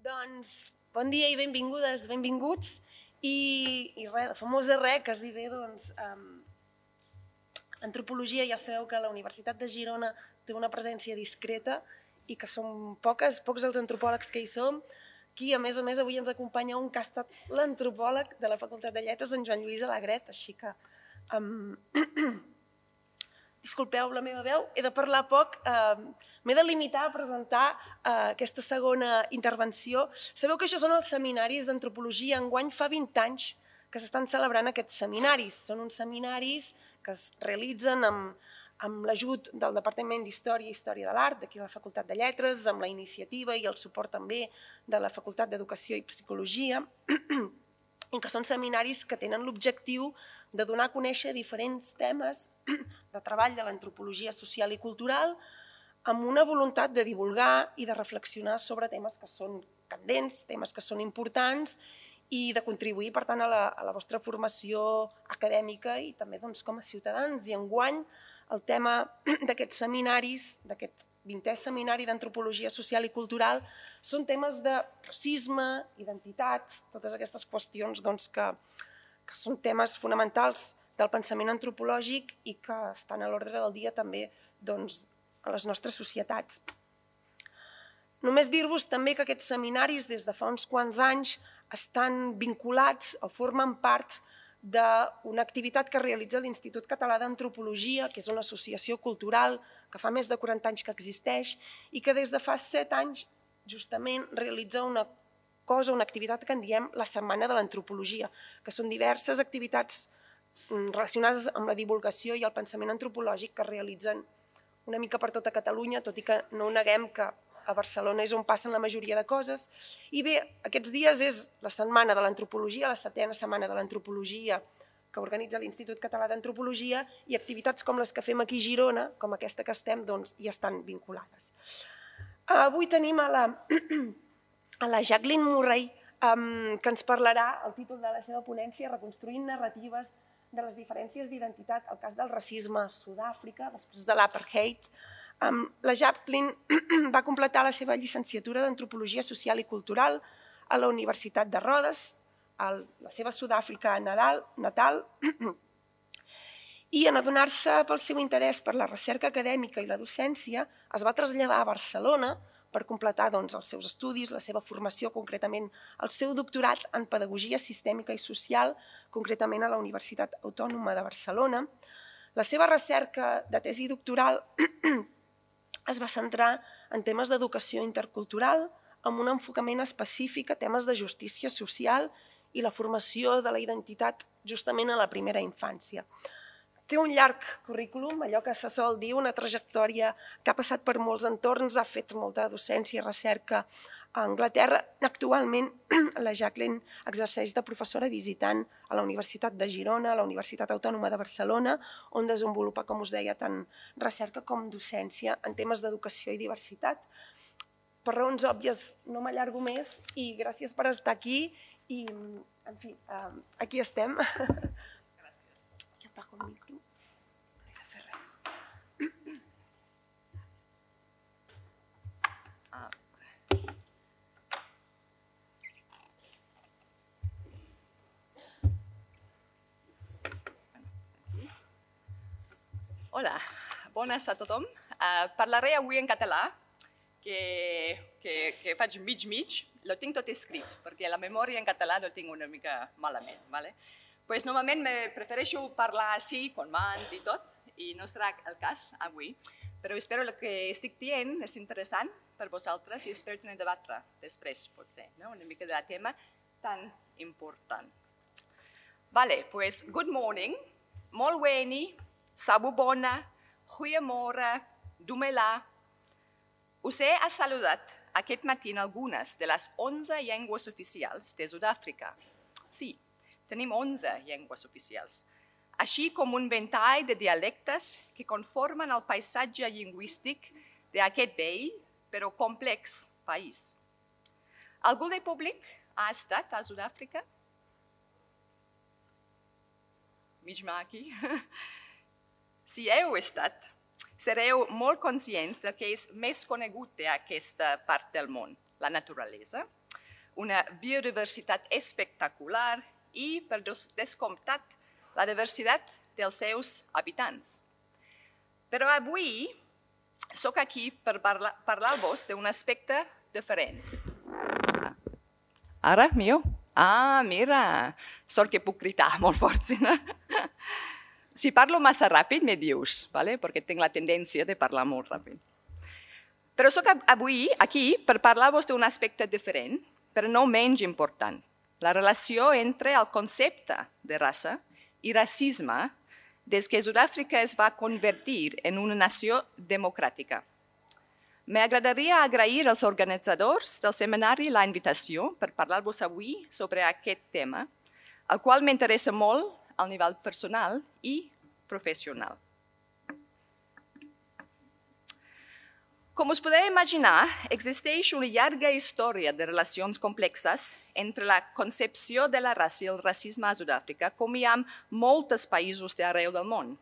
Doncs, bon dia i benvingudes, benvinguts. I res, de famosa res, quasi bé, doncs, antropologia, ja sabeu que la Universitat de Girona té una presència discreta i que som pocs els antropòlegs que hi som. Aquí, a més, avui ens acompanya un que ha estat l'antropòleg de la Facultat de Lletres, en Joan Lluís Alegret, així que... Disculpeu la meva veu, he de parlar poc, m'he de limitar a presentar aquesta segona intervenció. Sabeu que això són els seminaris d'antropologia. Enguany fa 20 anys que s'estan celebrant aquests seminaris. Són uns seminaris que es realitzen amb l'ajut del Departament d'Història i Història de l'Art, d'aquí a la Facultat de Lletres, amb la iniciativa i el suport també de la Facultat d'Educació i Psicologia, i que són seminaris que tenen l'objectiu de donar a conèixer diferents temes de treball de l'antropologia social i cultural amb una voluntat de divulgar i de reflexionar sobre temes que són candents, temes que són importants i de contribuir, per tant, a la vostra formació acadèmica i també com a ciutadans. I enguany el tema d'aquests seminaris, d'aquest 20è seminari d'antropologia social i cultural, són temes de racisme, identitat, totes aquestes qüestions que són temes fonamentals del pensament antropològic i que estan a l'ordre del dia també a les nostres societats. Només dir-vos també que aquests seminaris des de fa uns quants anys estan vinculats o formen part d'una activitat que realitza l'Institut Català d'Antropologia, que és una associació cultural que fa més de 40 anys que existeix i que des de fa 7 anys justament realitza una activitat que en diem la Setmana de l'Antropologia, que són diverses activitats relacionades amb la divulgació i el pensament antropològic que es realitzen una mica per tota Catalunya, tot i que no ho neguem que a Barcelona és on passen la majoria de coses. I bé, aquests dies és la Setmana de l'Antropologia, la 7ª Setmana de l'Antropologia que organitza l'Institut Català d'Antropologia i activitats com les que fem aquí a Girona, com aquesta que estem, hi estan vinculades. Avui tenim a la Jacqueline Murray, que ens parlarà el títol de la seva ponència, Reconstruint narratives de les diferències d'identitat al cas del racisme a Sud-àfrica, després de l'apartheid. La Jacqueline va completar la seva llicenciatura d'Antropologia Social i Cultural a la Universitat de Rhodes, a la seva Sud-àfrica natal, i en adonar-se pel seu interès per la recerca acadèmica i la docència es va traslladar a Barcelona per completar els seus estudis, la seva formació, concretament el seu doctorat en Pedagogia Sistèmica i Social, concretament a la Universitat Autònoma de Barcelona. La seva recerca de tesi doctoral es va centrar en temes d'educació intercultural, amb un enfocament específic a temes de justícia social i la formació de la identitat justament a la primera infància. Té un llarg currículum, allò que se sol dir, una trajectòria que ha passat per molts entorns, ha fet molta docència i recerca a Anglaterra. Actualment, la Jacqueline exerceix de professora visitant a la Universitat de Girona, a la Universitat Autònoma de Barcelona, on desenvolupa, com us deia, tant recerca com docència en temes d'educació i diversitat. Per raons òbvies no m'allargo més i gràcies per estar aquí i, en fi, aquí estem. Gràcies. Jo apago el micro. No he de fer res. Hola, bones a tothom. Parlaré avui en català, que faig mig, lo tinc tot escrit, perquè la memòria en català lo tinc una mica malament. Normalment prefereixo parlar així, con mans i tot, i no serà el cas avui, però espero que el que estic dient és interessant per vosaltres i espero tenir debatre després, potser, una mica del tema tan important. Good morning, molt weni, sabubona, goeiemorgen, dumela. Us he saludat aquest matí en algunes de les 11 llengües oficials de Sud-àfrica. Sí, tenim 11 llengües oficials, així com un ventall de dialectes que conformen el paisatge lingüístic d'aquest vell però complex país. Algú del públic ha estat a Sud-àfrica? Mig aquí. Si heu estat, sereu molt conscients del que és més conegut d'aquesta part del món, la naturalesa, una biodiversitat espectacular i, per descomptat, la diversitat dels seus habitants. Però avui sóc aquí per parlar-vos d'un aspecte diferent. Ara, mio? Ah, mira, sort que puc cridar molt fort, si no? Si parlo massa ràpid, me dius, ¿vale? Perquè tinc la tendència de parlar molt ràpid. Però sóc avui aquí per parlar-vos d'un aspecte diferent, però no menys important, la relació entre el concepte de raça i racisme des que Sud-àfrica es va convertir en una nació democràtica. M'agradaria agrair als organitzadors del seminari la invitació per parlar-vos avui sobre aquest tema, el qual m'interessa molt al nivell personal i professional. Com us podeu imaginar, existeix una llarga història de relacions complexes entre la concepció de la raça i el racisme a Sud-àfrica, com hi ha en molts països d'arreu del món.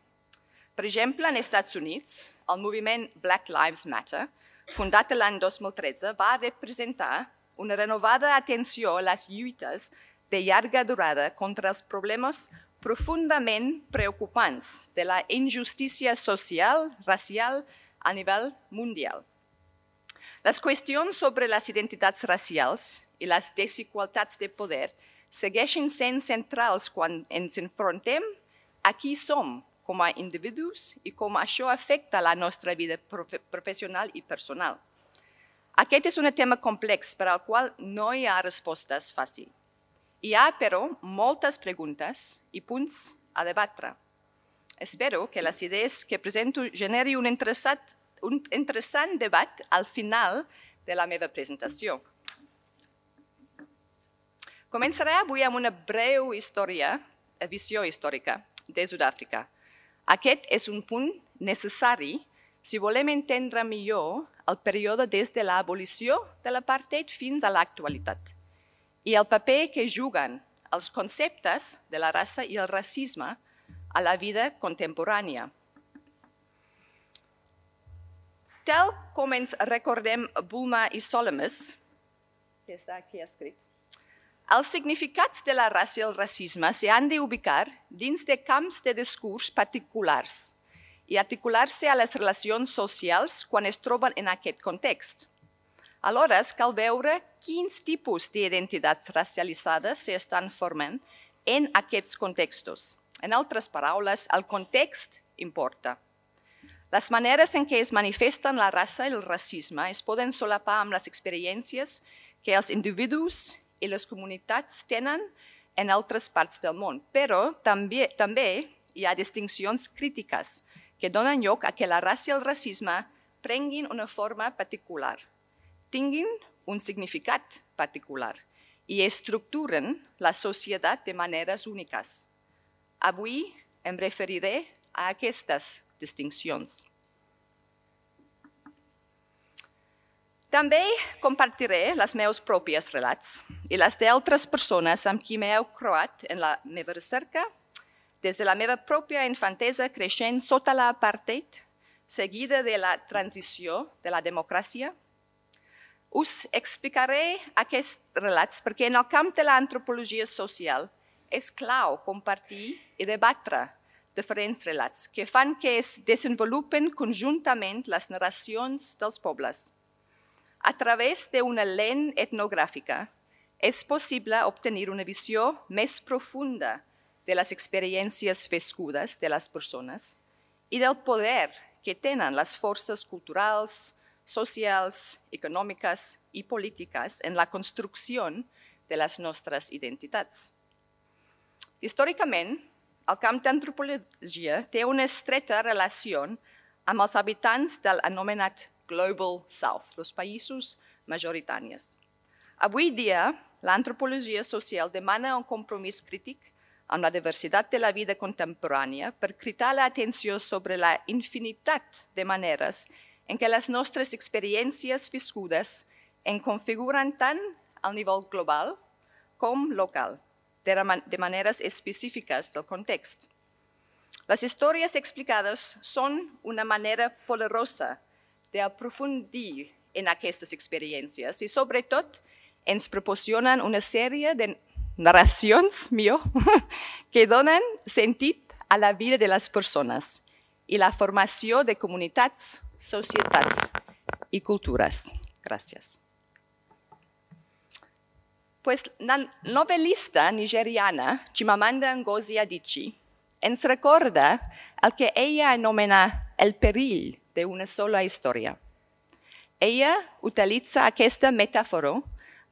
Per exemple, als Estats Units, el moviment Black Lives Matter, fundat l'any 2013, va representar una renovada atenció a les lluites de llarga durada contra els problemes profundament preocupants de la injustícia social, racial, a nivell mundial. Les qüestions sobre les identitats racials i les desigualtats de poder segueixen sent centrals quan ens enfrontem a qui som com a individus i com això afecta la nostra vida professional i personal. Aquest és un tema complex per al qual no hi ha respostes fàcils. Hi ha, però, moltes preguntes i punts a debatre. Espero que les idees que presento generi un interessant debat al final de la meva presentació. Començaré avui amb una breu visió històrica de Sud-àfrica. Aquest és un punt necessari si volem entendre millor el període des de l'abolició de l'apartheid fins a l'actualitat i el paper que juguen els conceptes de la raça i el racisme a la vida contemporània. Tal com ens recordem Bulmer i Solomons, que està aquí escrit, els significats de la raça i el racisme s'han d'ubicar dins de camps de discurs particulars i articular-se a les relacions socials quan es troben en aquest context. Alhora, cal veure quins tipus d'identitats racialitzades s'estan formant en aquests contextos. En altres paraules, el context importa. Les maneres en què es manifesten la raça i el racisme es poden solapar amb les experiències que els individus i les comunitats tenen en altres parts del món, però també hi ha distincions crítiques que donen lloc a que la raça i el racisme prenguin una forma particular, tinguin un significat particular i estructuren la societat de maneres úniques. Avui em referiré a aquestes distincions. També compartiré els meus propis relats i les d'altres persones amb qui m'he croat en la meva recerca, des de la meva pròpia infantesa creixent sota l'apartheid, seguida de la transició de la democràcia. Us explicaré aquests relats perquè en el camp de l'antropologia social és clau compartir i debatre diferents relats que fan que es desenvolupen conjuntament les narracions dels pobles. A través d'una lent etnogràfica és possible obtenir una visió més profunda de les experiències viscudes de les persones i del poder que tenen les forces culturals, socials, econòmiques i polítiques en la construcció de les nostres identitats. Històricament, el camp d'antropologia té una estreta relació amb els habitants del anomenat Global South, els països majoritaris. Avui dia, l'antropologia social demana un compromís crític amb la diversitat de la vida contemporània per cridar l'atenció sobre la infinitat de maneres en què les nostres experiències viscudes en configuren tant al nivell global com local, de maneres específiques del context. Les històries explicades són una manera poderosa d'aprofundir en aquestes experiències i, sobretot, ens proporcionen una sèrie de narracions que donen sentit a la vida de les persones i la formació de comunitats, societats i cultures. Gràcies. Pues la novel·lista nigeriana Chimamanda Ngozi Adichie ens recorda el que ella anomena el perill d'una sola història. Ella utilitza aquesta metàfora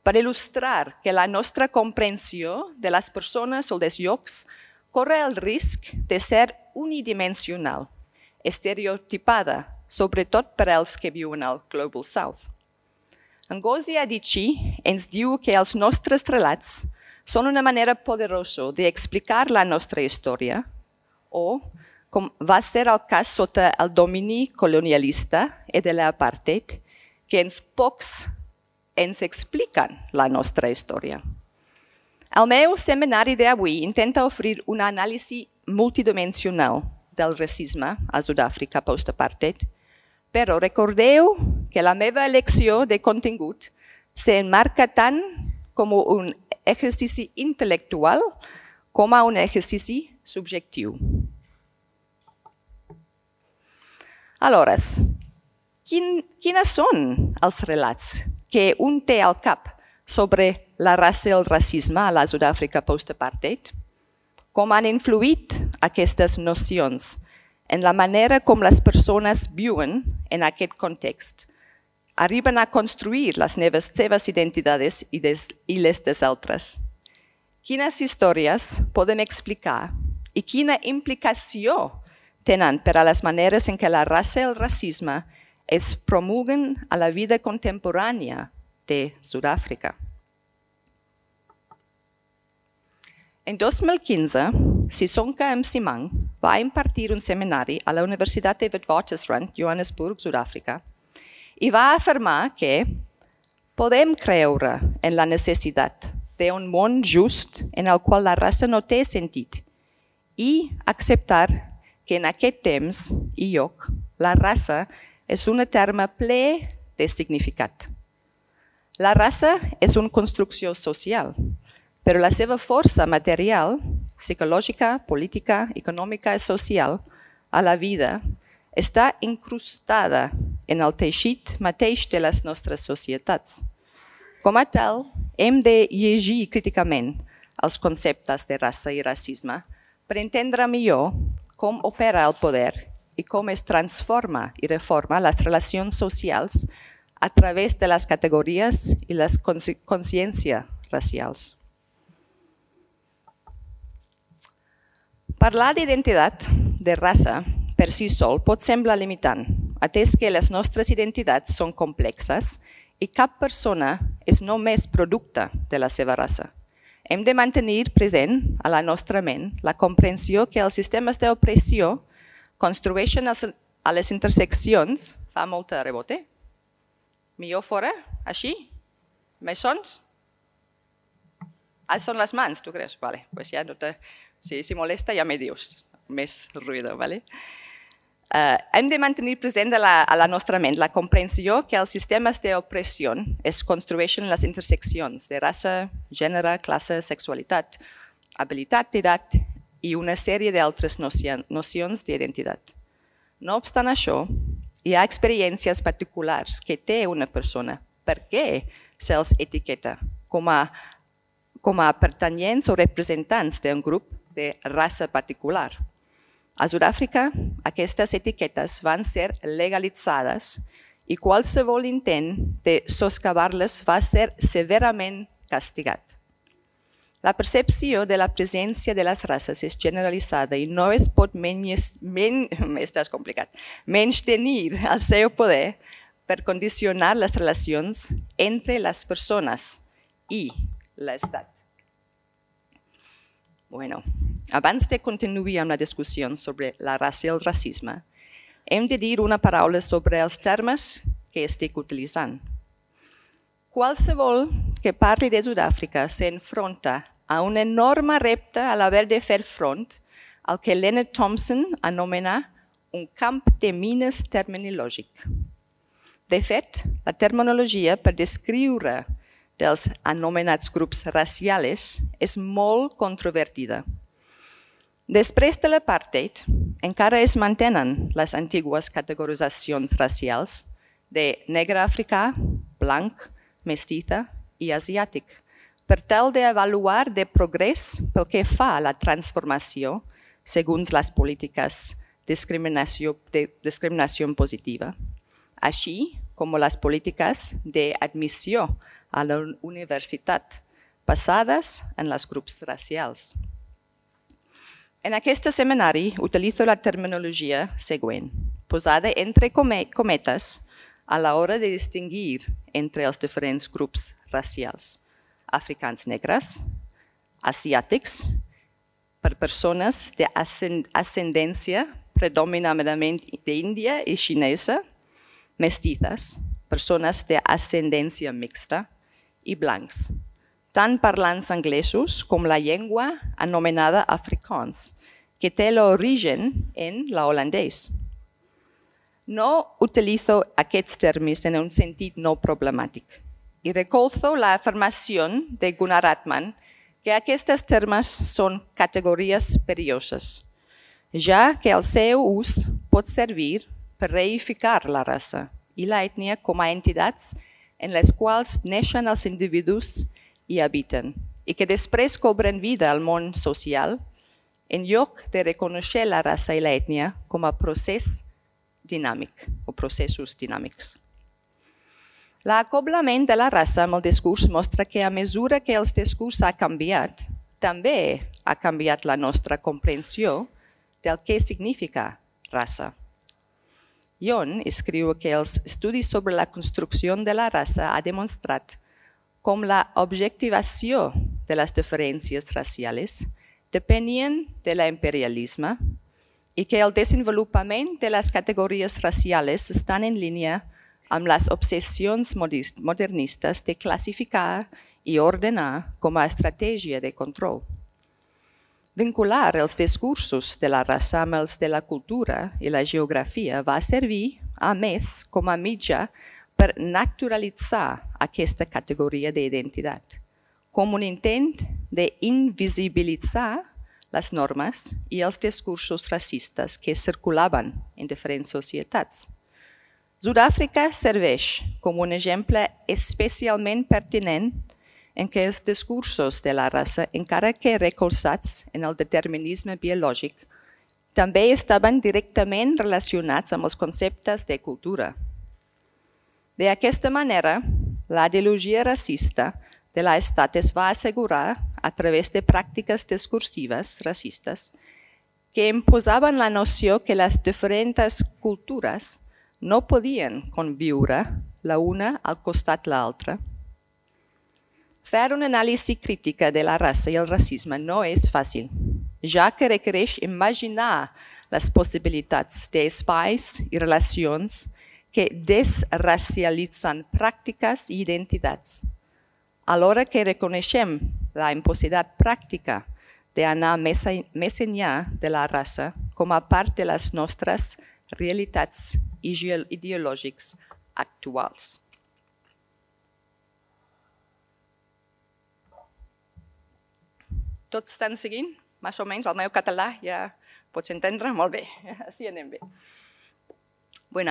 per il·lustrar que la nostra comprensió de les persones o dels llocs corre el risc de ser unidimensional, estereotipada, sobretot per als que viuen al Global South. Ngozi Adichie ens diu que els nostres relats són una manera poderosa d'explicar la nostra història o, com va ser el cas sota el domini colonialista i de l'apartheid, que pocs ens expliquen la nostra història. El meu seminari d'avui intenta oferir una anàlisi multidimensional del racisme a Sud-àfrica post-apartheid, però recordeu que la meva elecció de contingut s'emmarca tant com un exercici intel·lectual com un exercici subjectiu. Aleshores, quins són els relats que un té al cap sobre la raça i el racisme a la Sud-àfrica post-apartheid? Com han influït aquestes nocions en la manera com les persones viuen en aquest context, arriben a construir les seves identitats i les dels altres? Quines històries podem explicar i quina implicació tenen per a les maneres en què la raça i el racisme es promulguen a la vida contemporània de Sud-àfrica? En 2015, Sisonke Msimang va impartir un seminari a la Universitat de Witwatersrand, Johannesburg, Sud-àfrica, i va afirmar que podem creure en la necessitat d'un món just en el qual la raça no té sentit i acceptar que en aquest temps i lloc la raça és un terme ple de significat. La raça és una construcció social, però la seva força material, psicològica, política, econòmica i social a la vida està incrustada en el teixit mateix de les nostres societats. Com a tal, hem de llegir críticament els conceptes de raça i racisme per entendre millor com opera el poder i com es transforma i reforma les relacions socials a través de les categories i les consciències racials. Parlar d'identitat de raça per si sol pot semblar limitant, atès que les nostres identitats són complexes i cap persona és només producte de la seva raça. Hem de mantenir present a la nostra ment la comprensió que els sistemes d'opressió construeixen a les interseccions... Fa molta rebote? Millor fora? Així? Més sons? Són les mans, tu creus? Vale, pues ja no te... Si molesta ja me dius, més ruïdo, vale? Hem de mantenir present a la nostra ment la comprensió que els sistemes d'opressió es construeixen en les interseccions de raça, gènere, classe, sexualitat, habilitat, edat i una sèrie d'altres nocions d'identitat. No obstant això, hi ha experiències particulars que té una persona. Per què se'ls etiqueta com a pertanyents o representants d'un grup de raça particular? A Sud-àfrica, aquestes etiquetes van ser legalitzades i qualsevol intent de soscavar-les va ser severament castigat. La percepció de la presència de les races és generalitzada i no es pot menystenir el seu poder per condicionar les relacions entre les persones i l'Estat. Bueno, abans de continuar amb la discussió sobre la raça i el racisme, hem de dir una paraula sobre els termes que estic utilitzant. Qualsevol que parli de Sud-àfrica s'enfronta a un enorme repte a l'haver de fer front al que Leonard Thompson anomena un camp de mines terminològic. De fet, la terminologia per descriure dels anomenats grups racials és molt controvertida. Després de l'apartheid, encara es mantenen les antigues categoritzacions racials de negre africà, blanc, mestiza i asiàtic, per tal d'avaluar de progrés pel que fa a la transformació segons les polítiques de discriminació positiva, així com les polítiques d'admissió a la universitat basades en els grups racials. En aquest seminari utilitzo la terminologia següent, posada entre cometes a l'hora de distingir entre els diferents grups racials: africans negres, asiàtics, per persones d'ascendència predominantment d'Índia i xinesa, mestizes, persones d'ascendència mixta, i blancs, tant parlants anglesos com la llengua anomenada afrikaans, que té l'origen en l'holandès. No utilizo aquests termes en un sentit no problemàtic i recolzo l'afirmació de Gunnar Atman que aquests termes són categories perilloses, ja que el seu ús pot servir per reificar la raça i l'ètnia com a entitats en les quals neixen els individus i habiten, i que després cobren vida al món social, en lloc de reconèixer la raça i l'ètnia com a procés dinàmic o processos dinàmics. L'acoblament de la raça amb el discurs mostra que a mesura que el discurs ha canviat, també ha canviat la nostra comprensió del que significa raça. Yoon escriu que els estudis sobre la construcció de la raça ha demostrat com la objectivació de les diferències racials depenien de l'imperialisme i que el desenvolupament de les categories racials estan en línia amb les obsessions modernistes de classificar i ordenar com a estratègia de control. Vincular els discursos de la raça amb els de la cultura i la geografia va servir, a més, com a mitjà per naturalitzar aquesta categoria d'identitat, com un intent d'invisibilitzar les normes i els discursos racistes que circulaven en diferents societats. Sud-àfrica serveix com un exemple especialment pertinent en què els discursos de la raça, encara que recolzats en el determinisme biològic, també estaven directament relacionats amb els conceptes de cultura. D'aquesta manera, la ideologia racista de l'Estat es va assegurar, a través de pràctiques discursives racistes, que imposaven la noció que les diferents cultures no podien conviure la una al costat de l'altra. Fer una anàlisi crítica de la raça i el racisme no és fàcil, ja que requereix imaginar les possibilitats d'espais i relacions que desracialitzen pràctiques i identitats, alhora que reconeixem la impossibilitat pràctica d'anar més enllà de la raça com a part de les nostres realitats ideològiques actuals. Tots estan seguint? Més o menys, el meu català ja pots entendre? Molt bé, així anem bé.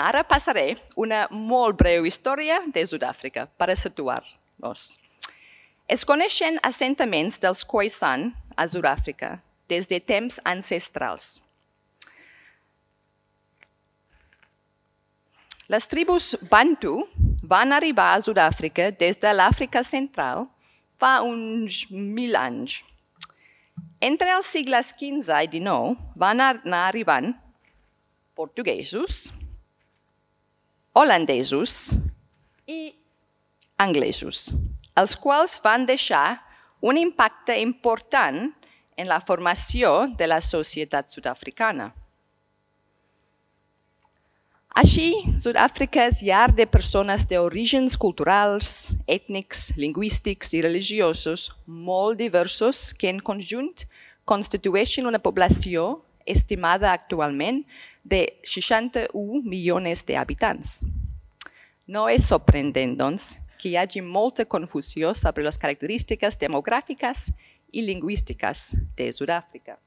Ara passaré una molt breu història de Sud-àfrica per situar-nos. Es coneixen assentaments dels Khoisan a Sud-àfrica des de temps ancestrals. Les tribus Bantu van arribar a Sud-àfrica des de l'Àfrica Central fa uns 1000 anys. Entre els segles XV i XIX van anar arribant portuguesos, holandesos i anglesos, els quals van deixar un impacte important en la formació de la societat sud-africana. Així, Sud-àfrica és llar de persones d'orígens culturals, ètnics, lingüístics i religiosos molt diversos que en conjunt constitueixen una població estimada actualment de 61 milions d'habitants. No és sorprendent, doncs, que hi hagi molta confusió sobre les característiques demogràfiques i lingüístiques de Sud-àfrica.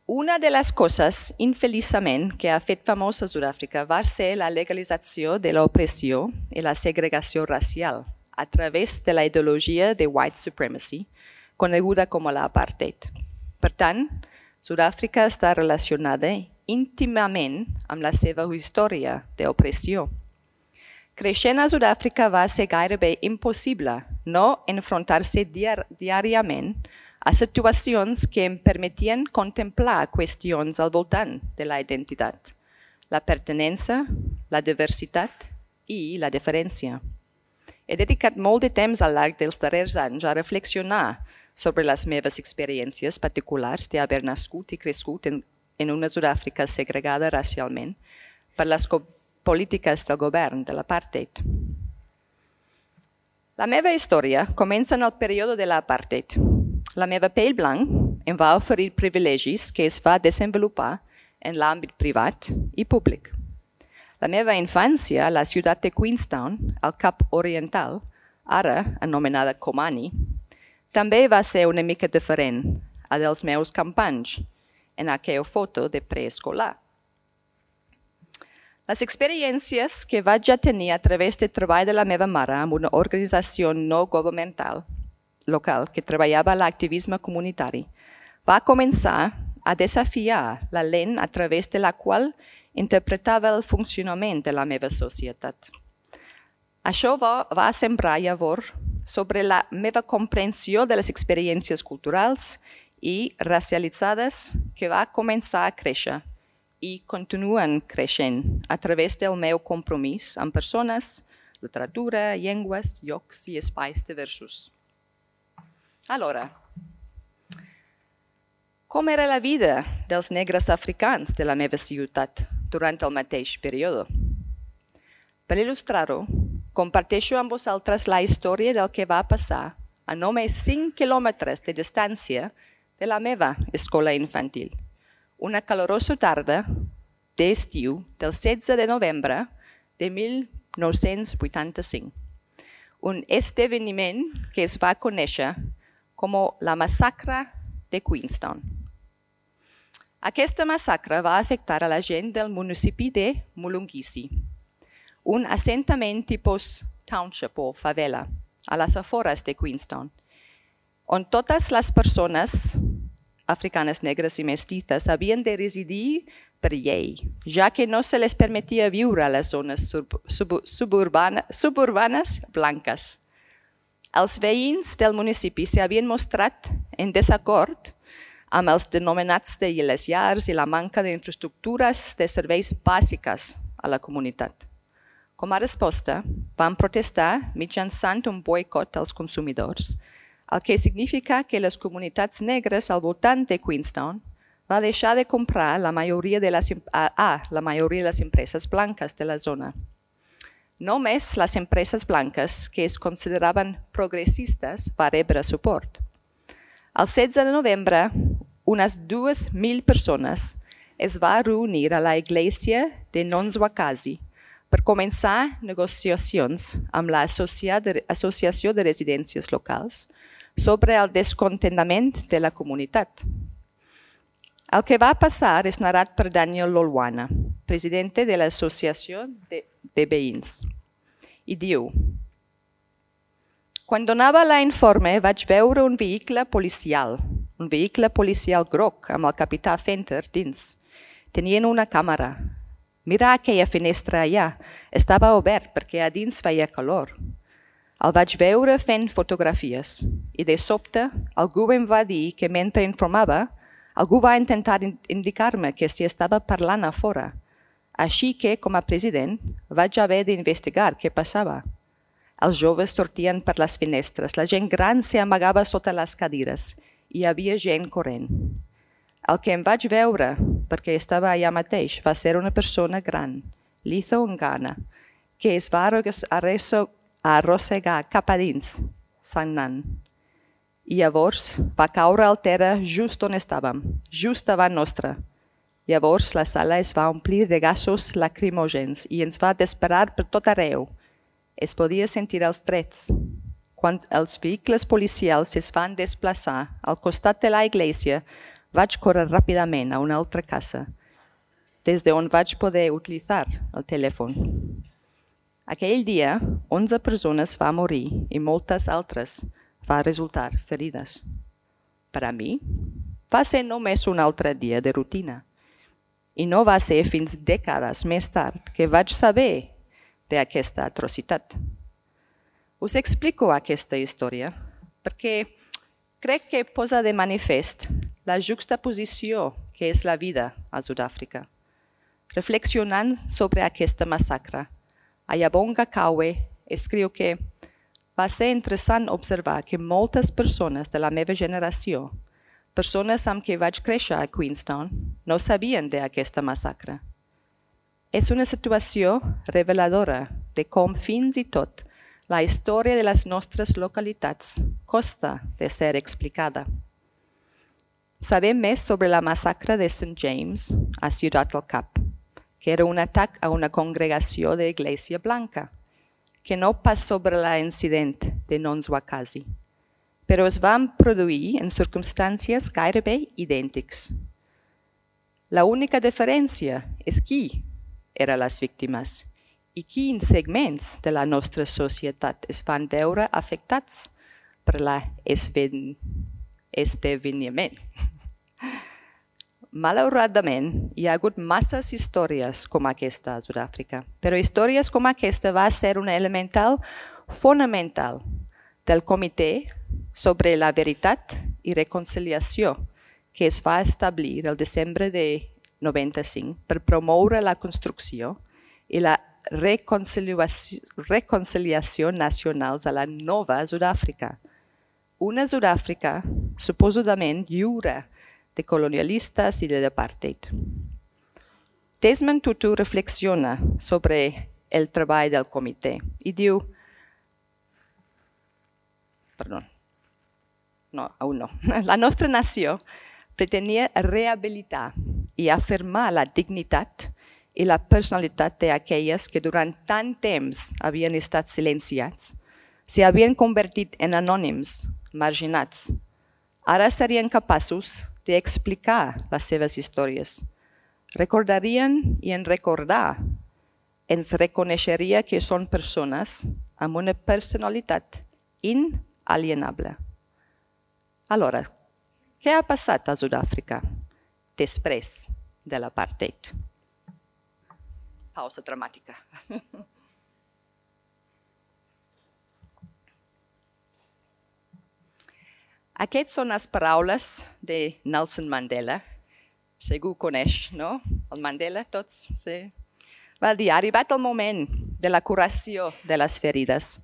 Una de les coses, infeliçament, que ha fet famosa Sud-àfrica va ser la legalització de l'opressió i la segregació racial a través de la ideologia de white supremacy, coneguda com l'apartheid. Per tant, Sud-àfrica està relacionada íntimament amb la seva història d'opressió. Creixent a Sud-àfrica va ser gairebé impossible no enfrontar-se diàriament a situacions que em permetien contemplar qüestions al voltant de la identitat, la pertinença, la diversitat i la diferència. He dedicat molt de temps al llarg dels darrers anys a reflexionar sobre les meves experiències particulars d'haver nascut i crescut en una Sud-àfrica segregada racialment per les polítiques del govern de l'apartheid. La meva història comença en el període de l'apartheid. La meva pell blanc em va oferir privilegis que es va desenvolupar en l'àmbit privat i públic. La meva infància a la ciutat de Queenstown, al Cap Oriental, ara anomenada Komani, també va ser una mica diferent a dels meus companys en aquella foto de preescolar. Les experiències que vaig tenir a través del treball de la meva mare amb una organització no governamental local que treballava l'activisme comunitari va començar a desafiar la lent a través de la qual interpretava el funcionament de la meva societat. Això va sembrar llavors sobre la meva comprensió de les experiències culturals i racialitzades que va començar a créixer i continuen creixent a través del meu compromís amb persones, literatura, llengües, llocs i espais diversos. Alhora, com era la vida dels negres africans de la meva ciutat durant el mateix període? Per il·lustrar-ho, comparteixo amb vosaltres la història del que va passar a només 5 quilòmetres de distància de la meva escola infantil. Una calorosa tarda d'estiu del 16 de novembre de 1985. Un esdeveniment que es va conèixer com la massacre de Queenstown. Aquesta massacre va afectar a la gent del municipi de Mulungisi, un assentament tipus township o favela a les afores de Queenstown, on totes les persones africanes negres i mestizes havien de residir per llei, ja que no se les permetia viure a les zones suburbanes blanques. Els veïns del municipi s'havien mostrat en desacord amb els denominats de les llars i la manca d'infraestructures de serveis bàsiques a la comunitat. Com a resposta, van protestar mitjançant un boicot als consumidors, el que significa que les comunitats negres al voltant de Queenstown va deixar de comprar la majoria de les empreses blanques de la zona. Només les empreses blanques que es consideraven progressistes van rebre suport. El 16 de novembre, unes 2.000 persones es van reunir a la església de Nonswakazi per començar negociacions amb l'Associació de Residències Locals sobre el descontentament de la comunitat. El que va passar és narrat per Daniel Lolwana, president de l'Associació de Veïns, i diu: quan donava l'informe vaig veure un vehicle policial groc amb el capità Fenter dins. Tenien una càmera. Mira aquella finestra allà, estava obert perquè a dins feia calor. El vaig veure fent fotografies i de sobte algú em va dir que mentre informava, algú va intentar indicar-me que s'hi estava parlant a fora. Així que, com a president, vaig haver d'investigar què passava. Els joves sortien per les finestres, la gent gran s'amagava sota les cadires i hi havia gent corrent. El que em vaig veure, perquè estava allà mateix, va ser una persona gran, Litho Ngana, que es va arrossegar cap a dins, sagnant. I llavors va caure al terra just on estàvem, just davant nostre. Llavors la sala es va omplir de gasos lacrimògens i ens va disparar per tot arreu. Es podia sentir els trets. Quan els vehicles policials es van desplaçar al costat de la església, vaig córrer ràpidament a una altra casa, des d'on vaig poder utilitzar el telèfon. Aquell dia, 11 persones van morir i moltes altres van resultar ferides. Per a mi, va ser només un altre dia de rutina. I no va ser fins dècades més tard que vaig saber d'aquesta atrocitat. Us explico aquesta història perquè crec que posa de manifest la juxtaposició que és la vida a Sud-àfrica. Reflexionant sobre aquesta massacre, Ayabonga Kawe escriu que va ser interessant observar que moltes persones de la meva generació, persones amb qui vaig créixer a Queenstown, no sabien d'aquesta massacre. És una situació reveladora de com fins i tot la història de les nostres localitats costa de ser explicada. Sabem més sobre la massacre de St. James a Ciutat del Cap, que era un atac a una congregació d'Església Blanca, que no pas sobre l'incident de Nonswakazi, però es van produir en circumstàncies gairebé idèntics. La única diferència és qui eren les víctimes i quins segments de la nostra societat es van veure afectats per l'esdeveniment. Malauradament, hi ha hagut masses històries com aquesta a Sud-àfrica, però històries com aquesta va ser un elemental fonamental del Comitè sobre la Veritat i Reconciliació que es va establir el desembre de 95 per promoure la construcció i la reconciliació nacionals a la nova Sud-àfrica. Una Sud-àfrica suposadament lliure de colonialistes i de l'apartheid. Desmond Tutu reflexiona sobre el treball del comitè i diu, la nostra nació pretenia rehabilitar i afirmar la dignitat i la personalitat d'aquelles que durant tant temps havien estat silenciats, s'havien convertit en anònims, marginats. Ara serien capaços d'explicar les seves històries. Recordarien i en recordar ens reconeixeria que són persones amb una personalitat inalienable. Aleshores, què ha passat a Sud-àfrica després de l'apartheid? Pausa dramàtica. Aquestes són les paraules de Nelson Mandela. Segur coneix, no? El Mandela, tots? Sí. Va dir, ha arribat el moment de la curació de les ferides.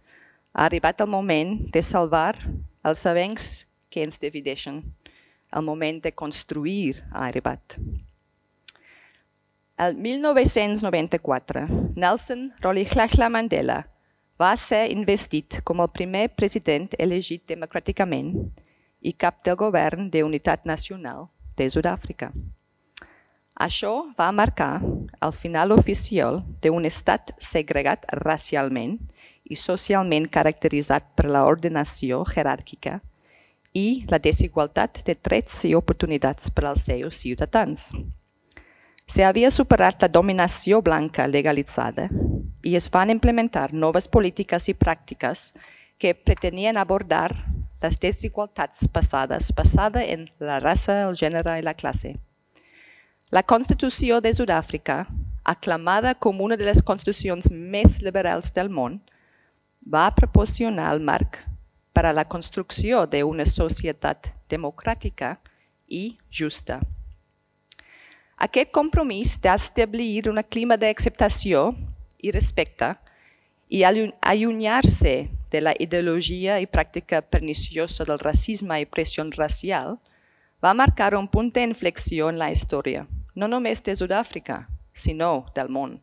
Ha arribat el moment de salvar els avencs que ens divideixen. El moment de construir ha arribat. El 1994, Nelson Rolihlahla Mandela va ser investit com el primer president elegit democràticament i cap del govern d'unitat nacional de Sud-àfrica. Això va marcar el final oficial d'un estat segregat racialment i socialment caracteritzat per l'ordenació jeràrquica i la desigualtat de drets i oportunitats per als seus ciutadans. S'havia superat la dominació blanca legalitzada i es van implementar noves polítiques i pràctiques que pretenien abordar les desigualtats basades en la raça, el gènere i la classe. La Constitució de Sud-àfrica, aclamada com una de les constitucions més liberals del món, va proporcionar el marc per a la construcció d'una societat democràtica i justa. Aquest compromís d'establir un clima d'acceptació i respecte i allunyar-se de la ideologia i pràctica perniciosa del racisme i pressió racial va marcar un punt d'inflexió en la història, no només de Sud-àfrica, sinó del món.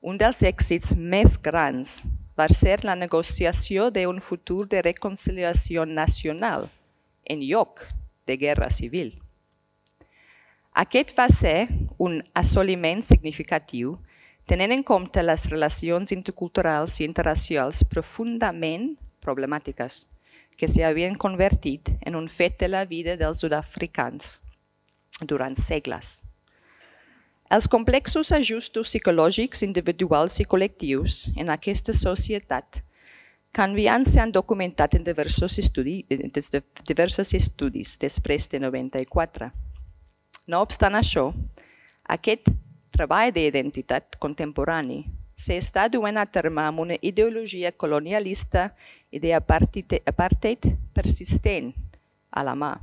Un dels èxits més grans va ser la negociació d'un futur de reconciliació nacional en lloc de guerra civil. Aquest va ser un assoliment significatiu, tenint en compte les relacions interculturals i interracials profundament problemàtiques, que s'havien convertit en un fet de la vida dels sud-africans durant segles. Els complexos ajustos psicològics individuals i col·lectius en aquesta societat canviant s'han documentat en diversos estudis després de 94. No obstant això, aquest treball d'identitat contemporani s'està duent a terme amb una ideologia colonialista i d'apartheid persistent a la mà.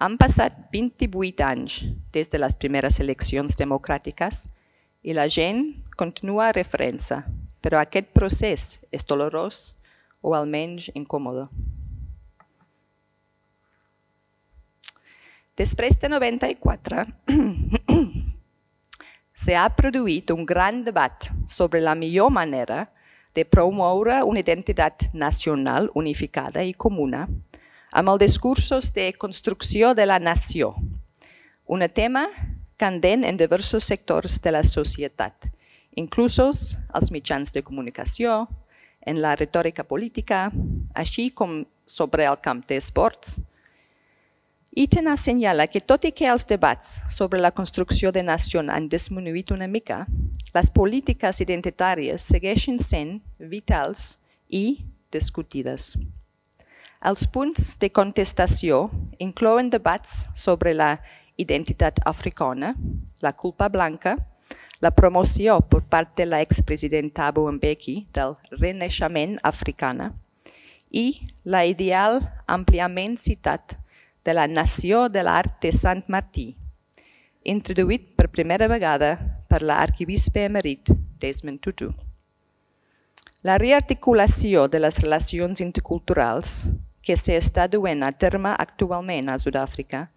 Han passat 28 anys des de les primeres eleccions democràtiques i la gent continua a referència, però aquest procés és dolorós o almenys incòmode. Després de 94, s'ha produït un gran debat sobre la millor manera de promoure una identitat nacional unificada i comuna amb els discursos de construcció de la nació, un tema candent en diversos sectors de la societat, inclusos els mitjans de comunicació, en la retòrica política, així com sobre el camp d'esports. Iten assenyala que tot i que els debats sobre la construcció de nació han disminuït una mica, les polítiques identitàries segueixen sent vitals i discutides. Els punts de contestació inclouen debats sobre la identitat africana, la culpa blanca, la promoció per part de l'expresident Thabo Mbeki del renaixement africana i la ideal àmpliament citat de la nació de l'art de Sant Martí, introduït per primera vegada per l'arquebisbe emèrit Desmond Tutu. La rearticulació de les relacions interculturals que s'està duent a terme actualment a Sud-àfrica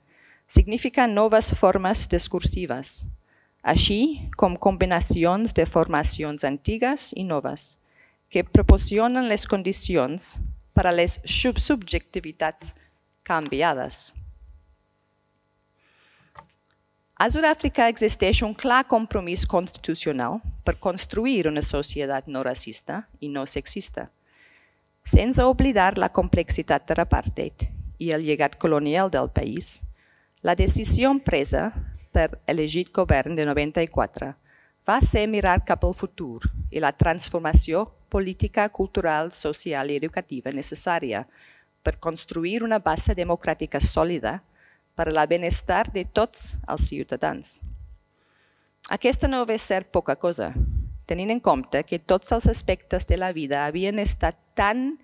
significa noves formes discursives, així com combinacions de formacions antigues i noves, que proporcionen les condicions per a les subjectivitats canviades. A Sud-àfrica existeix un clar compromís constitucional per construir una societat no racista i no sexista, sense oblidar la complexitat de l'apartheid i el llegat colonial del país. La decisió presa per elegit govern de 94 va ser mirar cap al futur i la transformació política, cultural, social i educativa necessària per construir una base democràtica sòlida per al benestar de tots els ciutadans. Aquesta no va ser poca cosa, tenint en compte que tots els aspectes de la vida havien estat tan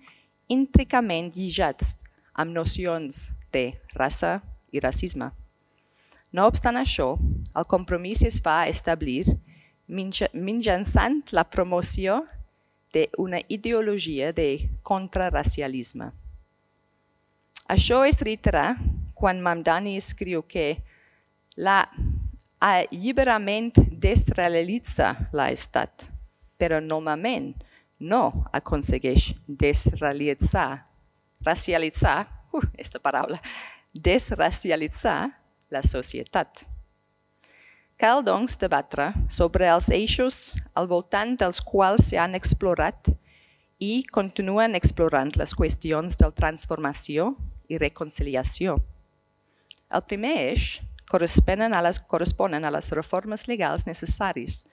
intricament lligats amb nocions de raça i racisme. No obstant això, el compromís es va establir mitjançant la promoció d'una ideologia de contraracialisme. Això es reitera quan Mamdani escriu que l'alliberament desrealitza l'estat, però normalment no aconsegueix desracialitzar la societat. Cal, doncs, debatre sobre els eixos al voltant dels quals s'han explorat i continuen explorant les qüestions de transformació i reconciliació. El primer eix corresponen a les reformes legals necessaris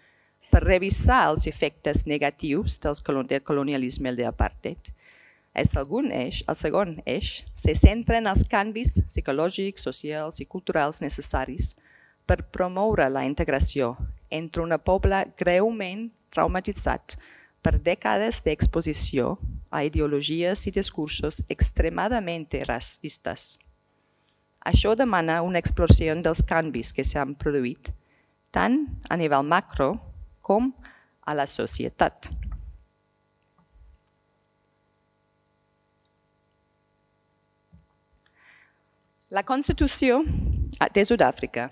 per revisar els efectes negatius del colonialisme i l'apartheid. El segon eix se centra en els canvis psicològics, socials i culturals necessaris per promoure la integració entre un poble greument traumatitzat per dècades d'exposició a ideologies i discursos extremadament racistes. Això demana una exploració dels canvis que s'han produït, tant a nivell macro com a la societat. La Constitució de Sud-àfrica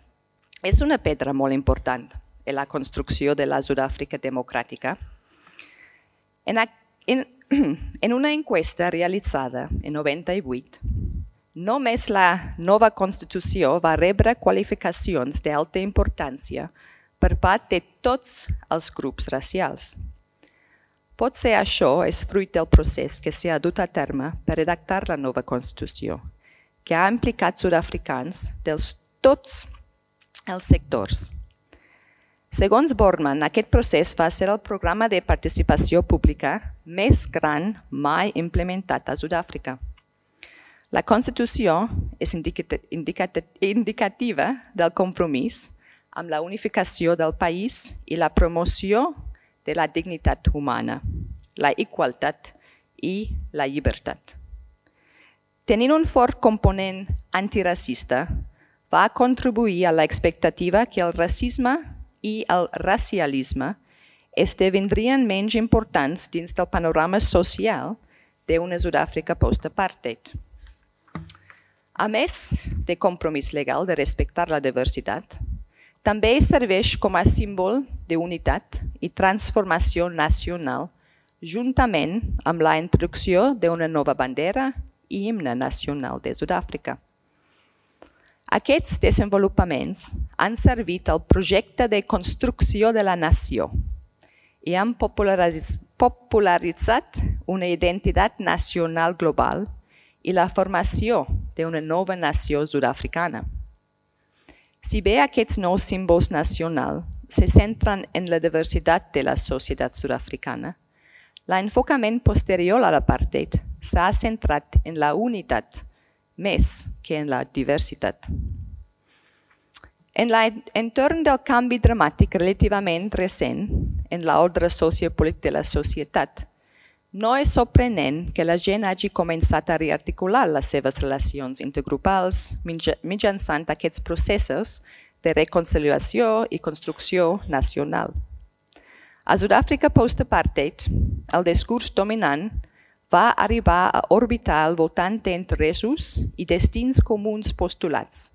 és una pedra molt important en la construcció de la Sud-àfrica democràtica. En una enquesta realitzada en 98, Només la nova Constitució va rebre qualificacions d'alta importància per part de tots els grups racials. Potser això és fruit del procés que s'ha dut a terme per redactar la nova Constitució, que ha implicat sud-africans de tots els sectors. Segons Borman, aquest procés va ser el programa de participació pública més gran mai implementat a Sud-àfrica. La Constitució és indicativa del compromís amb la unificació del país i la promoció de la dignitat humana, la igualtat i la llibertat. Tenint un fort component antiracista, va contribuir a l'expectativa que el racisme i el racialisme esdevindrien menys importants dins del panorama social d'una Sud-àfrica post-apartheid. A més de compromís legal de respectar la diversitat, també serveix com a símbol d'unitat i transformació nacional, juntament amb la introducció d'una nova bandera i himne nacional de Sud-àfrica. Aquests desenvolupaments han servit al projecte de construcció de la nació i han popularitzat una identitat nacional global i la formació d'una nova nació sud-africana. Si bé aquests nous símbols nacionals se centren en la diversitat de la societat sud-africana, l'enfocament posterior a l'apartheid s'ha centrat en la unitat més que en la diversitat. En l'entorn del canvi dramàtic relativament recent en l'ordre sociopolític de la societat, no és sorprenent que la gent hagi començat a rearticular les seves relacions intergrupals mitjançant aquests processos de reconciliació i construcció nacional. A Sud-àfrica post-apartheid, el discurs dominant va arribar a orbitar al voltant d'interessos i destins comuns postulats,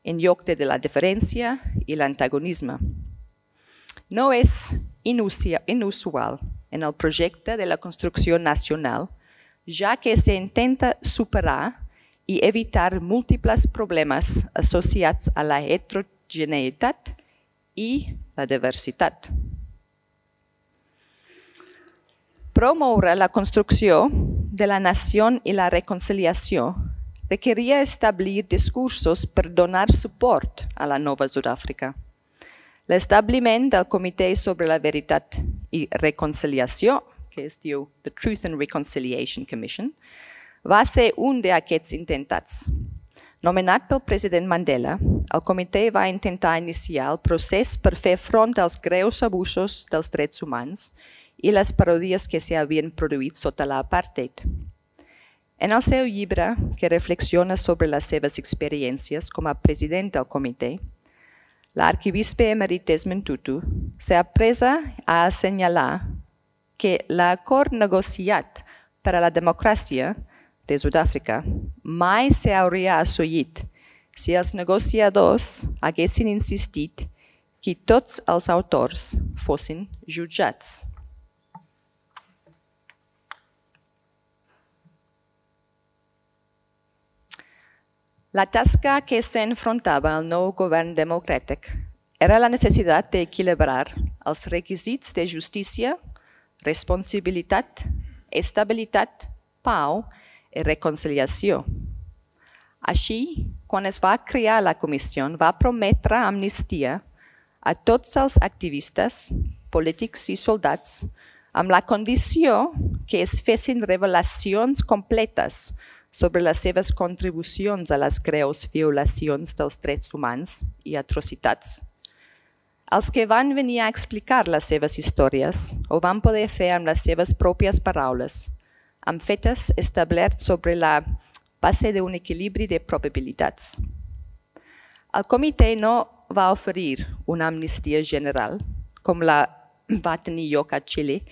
en lloc de la diferència i l'antagonisme. No és inusual en el projecte de la construcció nacional, ja que s'intenta superar i evitar múltiples problemes associats a la heterogeneïtat i la diversitat. Promoure la construcció de la nació i la reconciliació requeria establir discursos per donar suport a la nova Sud-àfrica. L'establiment del Comitè sobre la Veritat i Reconciliació, que es diu The Truth and Reconciliation Commission, va ser un d'aquests intentats. Nomenat pel president Mandela, el comitè va intentar iniciar el procés per fer front als greus abusos dels drets humans i les paròdies que s'havien produït sota l'apartheid. En el seu llibre, que reflexiona sobre les seves experiències com a president del comitè, l'arquibisbe emèrit Desmond Tutu s'ha presa a assenyalar que l'acord negociat per a la democràcia de Sud-àfrica mai s'hauria assolit si els negociadors haguessin insistit que tots els autors fossin jutjats. La tasca que s'enfrontava al nou govern democràtic era la necessitat d'equilibrar els requisits de justícia, responsabilitat, estabilitat, pau i reconciliació. Així, quan es va crear la comissió, va prometre amnistia a tots els activistes, polítics i soldats, amb la condició que es fessin revelacions completes sobre les seves contribucions a les greus violacions dels drets humans i atrocitats. Els que van venir a explicar les seves històries ho van poder fer amb les seves pròpies paraules, amb fetes establerts sobre la base d'un equilibri de probabilitats. El comitè no va oferir una amnistia general, com la va tenir lloc a Xile,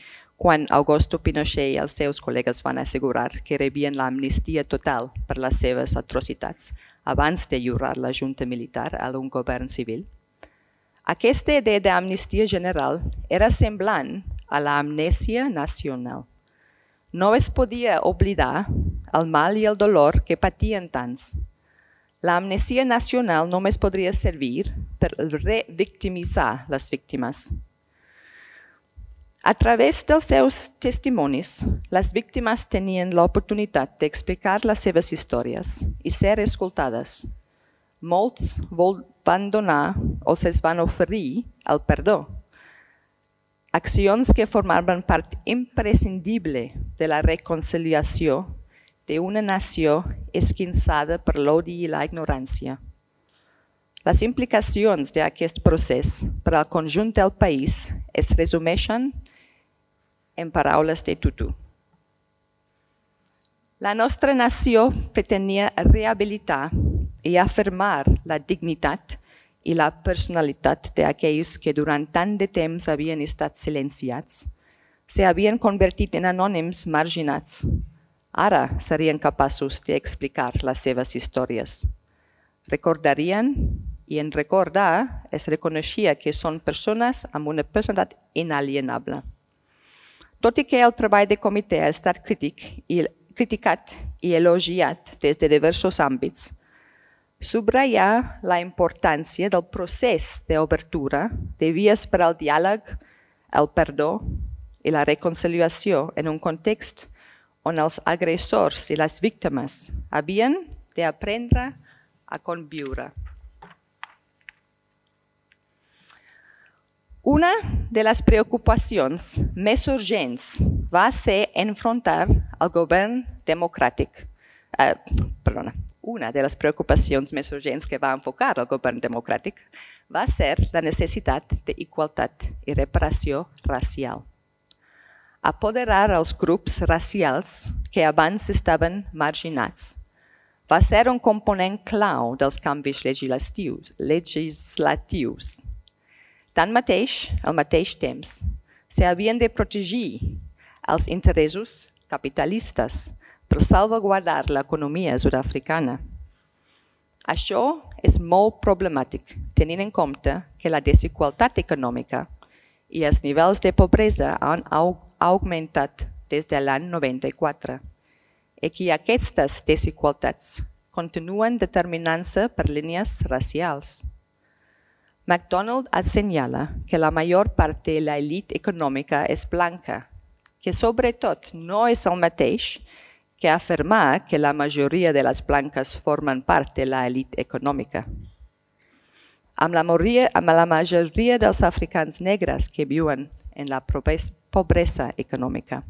quan Augusto Pinochet i els seus col·legues van assegurar que rebien l'amnistia total per les seves atrocitats abans de lliurar la junta militar a un govern civil. Aquesta idea d'amnistia general era semblant a l'amnèsia nacional. no es podia oblidar el mal i el dolor que patien tants. L'amnesia nacional només podria servir per revictimitzar les víctimes. A través dels seus testimonis, les víctimes tenien l'oportunitat d'explicar les seves històries i ser escoltades. Molts van donar o es van oferir el perdó. Accions que formaven part imprescindible de la reconciliació d'una nació esquinçada per l'odi i la ignorància. Les implicacions d'aquest procés per al conjunt del país es resumeixen en paraules de Tutu. La nostra nació pretenia rehabilitar i afirmar la dignitat i la personalitat d'aquells que durant tant de temps havien estat silenciats, s'havien convertit en anònims marginats. Ara serien capaços d'explicar les seves històries. Recordarien, i en recordar es reconeixia que són persones amb una personalitat inalienable. Tot i que el treball de comitè ha estat criticat i elogiat des de diversos àmbits, subratllar la importància del procés d'obertura de vies per al diàleg, el perdó i la reconciliació en un context on els agressors i les víctimes havien d'aprendre a conviure. Una de les preocupacions més urgents va ser enfrontar el govern democràtic. Una de les preocupacions més urgents que va enfocar el govern democràtic va ser la necessitat d'igualtat i reparació racial. Apoderar els grups racials que abans estaven marginats va ser un component clau dels canvis legislatius. Tanmateix, al mateix temps, s'havien de protegir els interessos capitalistes per salvaguardar l'economia sud-africana. Això és molt problemàtic, tenint en compte que la desigualtat econòmica i els nivells de pobresa han augmentat des de l'any 94 i que aquestes desigualtats continuen determinant-se per línies racials. McDonald assenyala que la major part de l'elit econòmica és blanca, que sobretot no és el mateix que afirmar que la majoria de les blanques formen part de l'elit econòmica. Amb la majoria dels africans negres que viuen en la pobresa econòmica.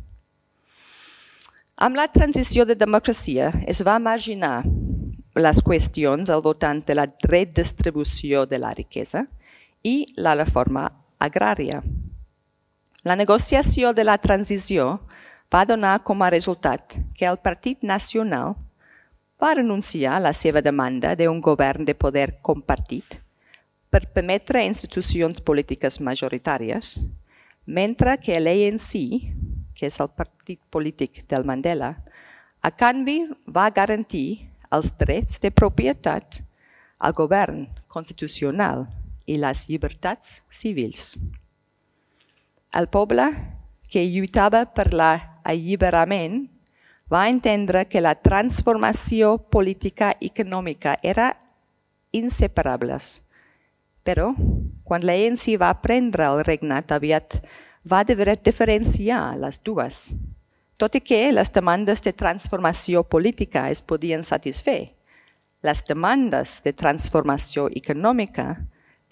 Amb la transició de democràcia es va marginar les qüestions al voltant de la redistribució de la riquesa i la reforma agrària. La negociació de la transició va donar com a resultat que el Partit Nacional va renunciar a la seva demanda d'un govern de poder compartit per permetre institucions polítiques majoritàries, mentre que l'ANC, que és el partit polític del Mandela, a canvi va garantir els drets de propietat, el govern constitucional i les llibertats civils. El poble que lluitava per l'alliberament va entendre que la transformació política i econòmica era inseparables. Però, quan l'ANC va prendre el regnat, aviat va deber diferenciar les dues. Tot i que les demandes de transformació política es podien satisfer, les demandes de transformació econòmica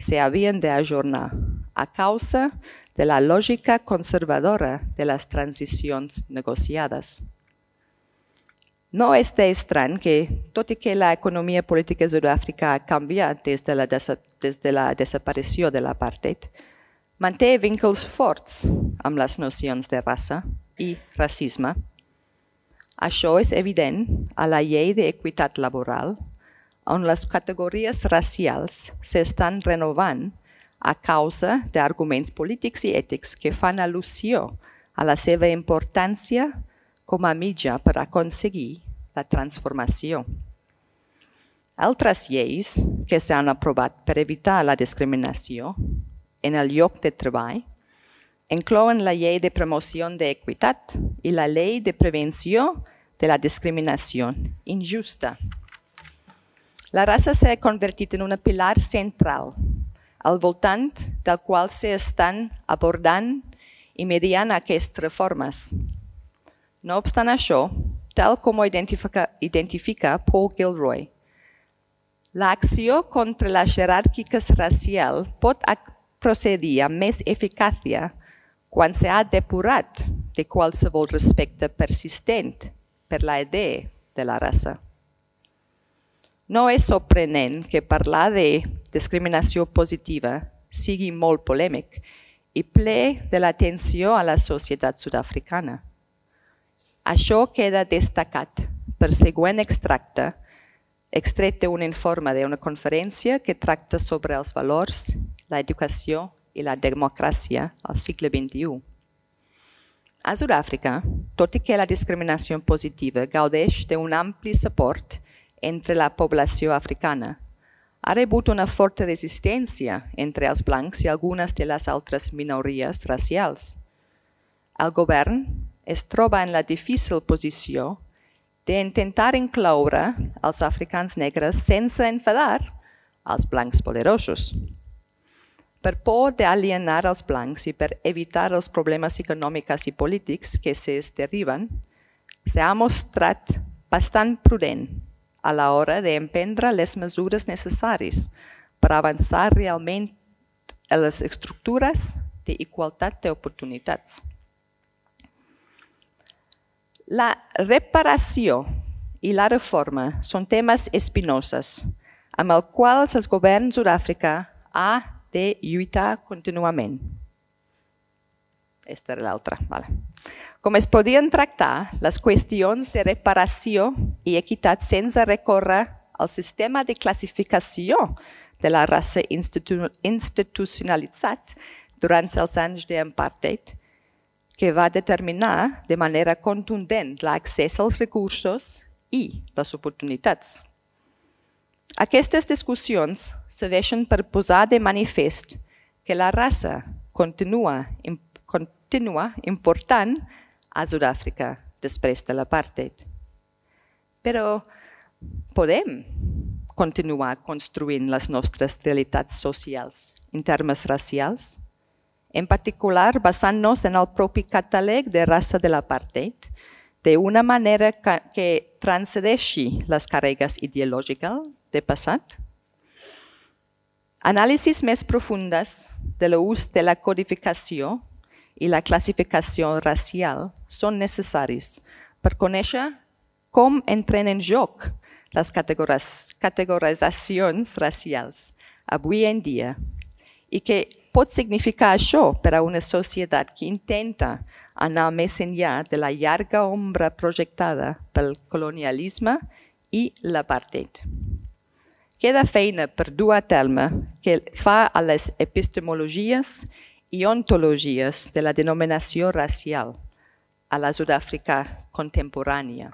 s'havien d'ajornar a causa de la lògica conservadora de les transicions negociades. No és d'estrany que, tot i que l'economia política de Sud-àfrica ha canviat des de la desaparició de l'apartheid, manté vincles forts amb les nocions de raça i racisme. Això és evident a la llei d'equitat laboral, on les categories racials s'estan renovant a causa d'arguments polítics i ètics que fan al·lusió a la seva importància com a mitjà per aconseguir la transformació. Altres lleis que s'han aprovat per evitar la discriminació en el lloc de treball inclouen la llei de promoció d'equitat i la llei de prevenció de la discriminació injusta. La raça s'ha convertit en un pilar central, al voltant del qual s'estan abordant i mediant aquestes reformes. No obstant això, tal com ho identifica Paul Gilroy, l'acció contra les jeràrquiques racials pot procedir amb més eficàcia quan s'ha depurat de qualsevol respecte persistent per la idea de la raça. No és sorprenent que parlar de discriminació positiva sigui molt polèmic i ple de l'atenció a la societat sud-africana. Això queda destacat per següent extracte, extret d'un informe d'una conferència que tracta sobre els valors, l'educació i la democràcia al segle XXI. A Sud-àfrica, tot i que la discriminació positiva gaudeix d'un ampli suport entre la població africana, ha rebut una forta resistència entre els blancs i algunes de les altres minories racials. El govern es troba en la difícil posició d'intentar incloure els africans negres sense enfadar els blancs poderosos. Per por d'alienar els blancs i per evitar els problemes econòmics i polítics que se'n deriven, s'ha mostrat bastant prudent a l'hora d'emprendre les mesures necessàries per avançar realment en les estructures d'igualtat d'oportunitats. La reparació i la reforma són temes espinosos amb els quals el govern de Sud-àfrica ha de lluitar contínuament. Aquesta era l'altra. Com es podien tractar les qüestions de reparació i equitat sense recórrer al sistema de classificació de la raça institucionalitzat durant els anys d'apartheid, que va determinar de manera contundent l'accés als recursos i les oportunitats. Aquestes discussions serveixen per posar de manifest que la raça continua important a Sud-àfrica després de l'apartheid. Però podem continuar construint les nostres realitats socials en termes racials, en particular basant-nos en el propi catàleg de raça de l'apartheid, d'una manera que transcendeixi les càrregues ideològiques del passat. Anàlisis més profundes de l'ús de la codificació i la classificació racial són necessaris per conèixer com entren en joc les categoritzacions racials avui en dia i què pot significar això per a una societat que intenta anar més enllà de la llarga ombra projectada pel colonialisme i l'apartheid. Queda feina per dur a terme que fa a les epistemologies i ontologies de la denominació racial a la Sud-àfrica contemporània.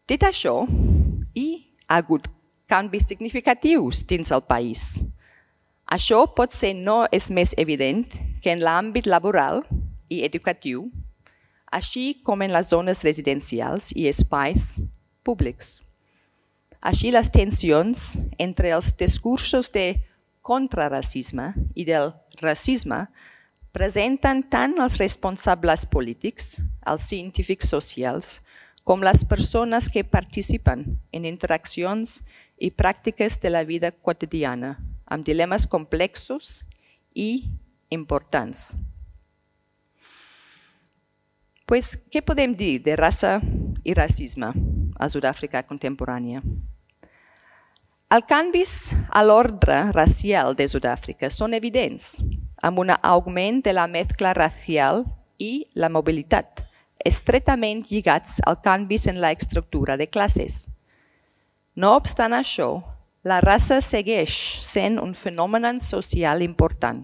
Dit això, hi ha hagut canvis significatius dins el país. Això potser no és més evident que en l'àmbit laboral i educatiu, així com en les zones residencials i espais públics. Així, les tensions entre els discursos de contraracisme i del racisme presenten tant els responsables polítics, els científics socials, com les persones que participen en interaccions i pràctiques de la vida quotidiana, amb dilemes complexos i importants. Pues, què podem dir de raça i racisme a Sud-àfrica contemporània? Els canvis a l'ordre racial de Sud-àfrica són evidents, amb un augment de la mescla racial i la mobilitat, estretament lligats als canvis en l'estructura de classes. No obstant això, la raça segueix sent un fenomen social important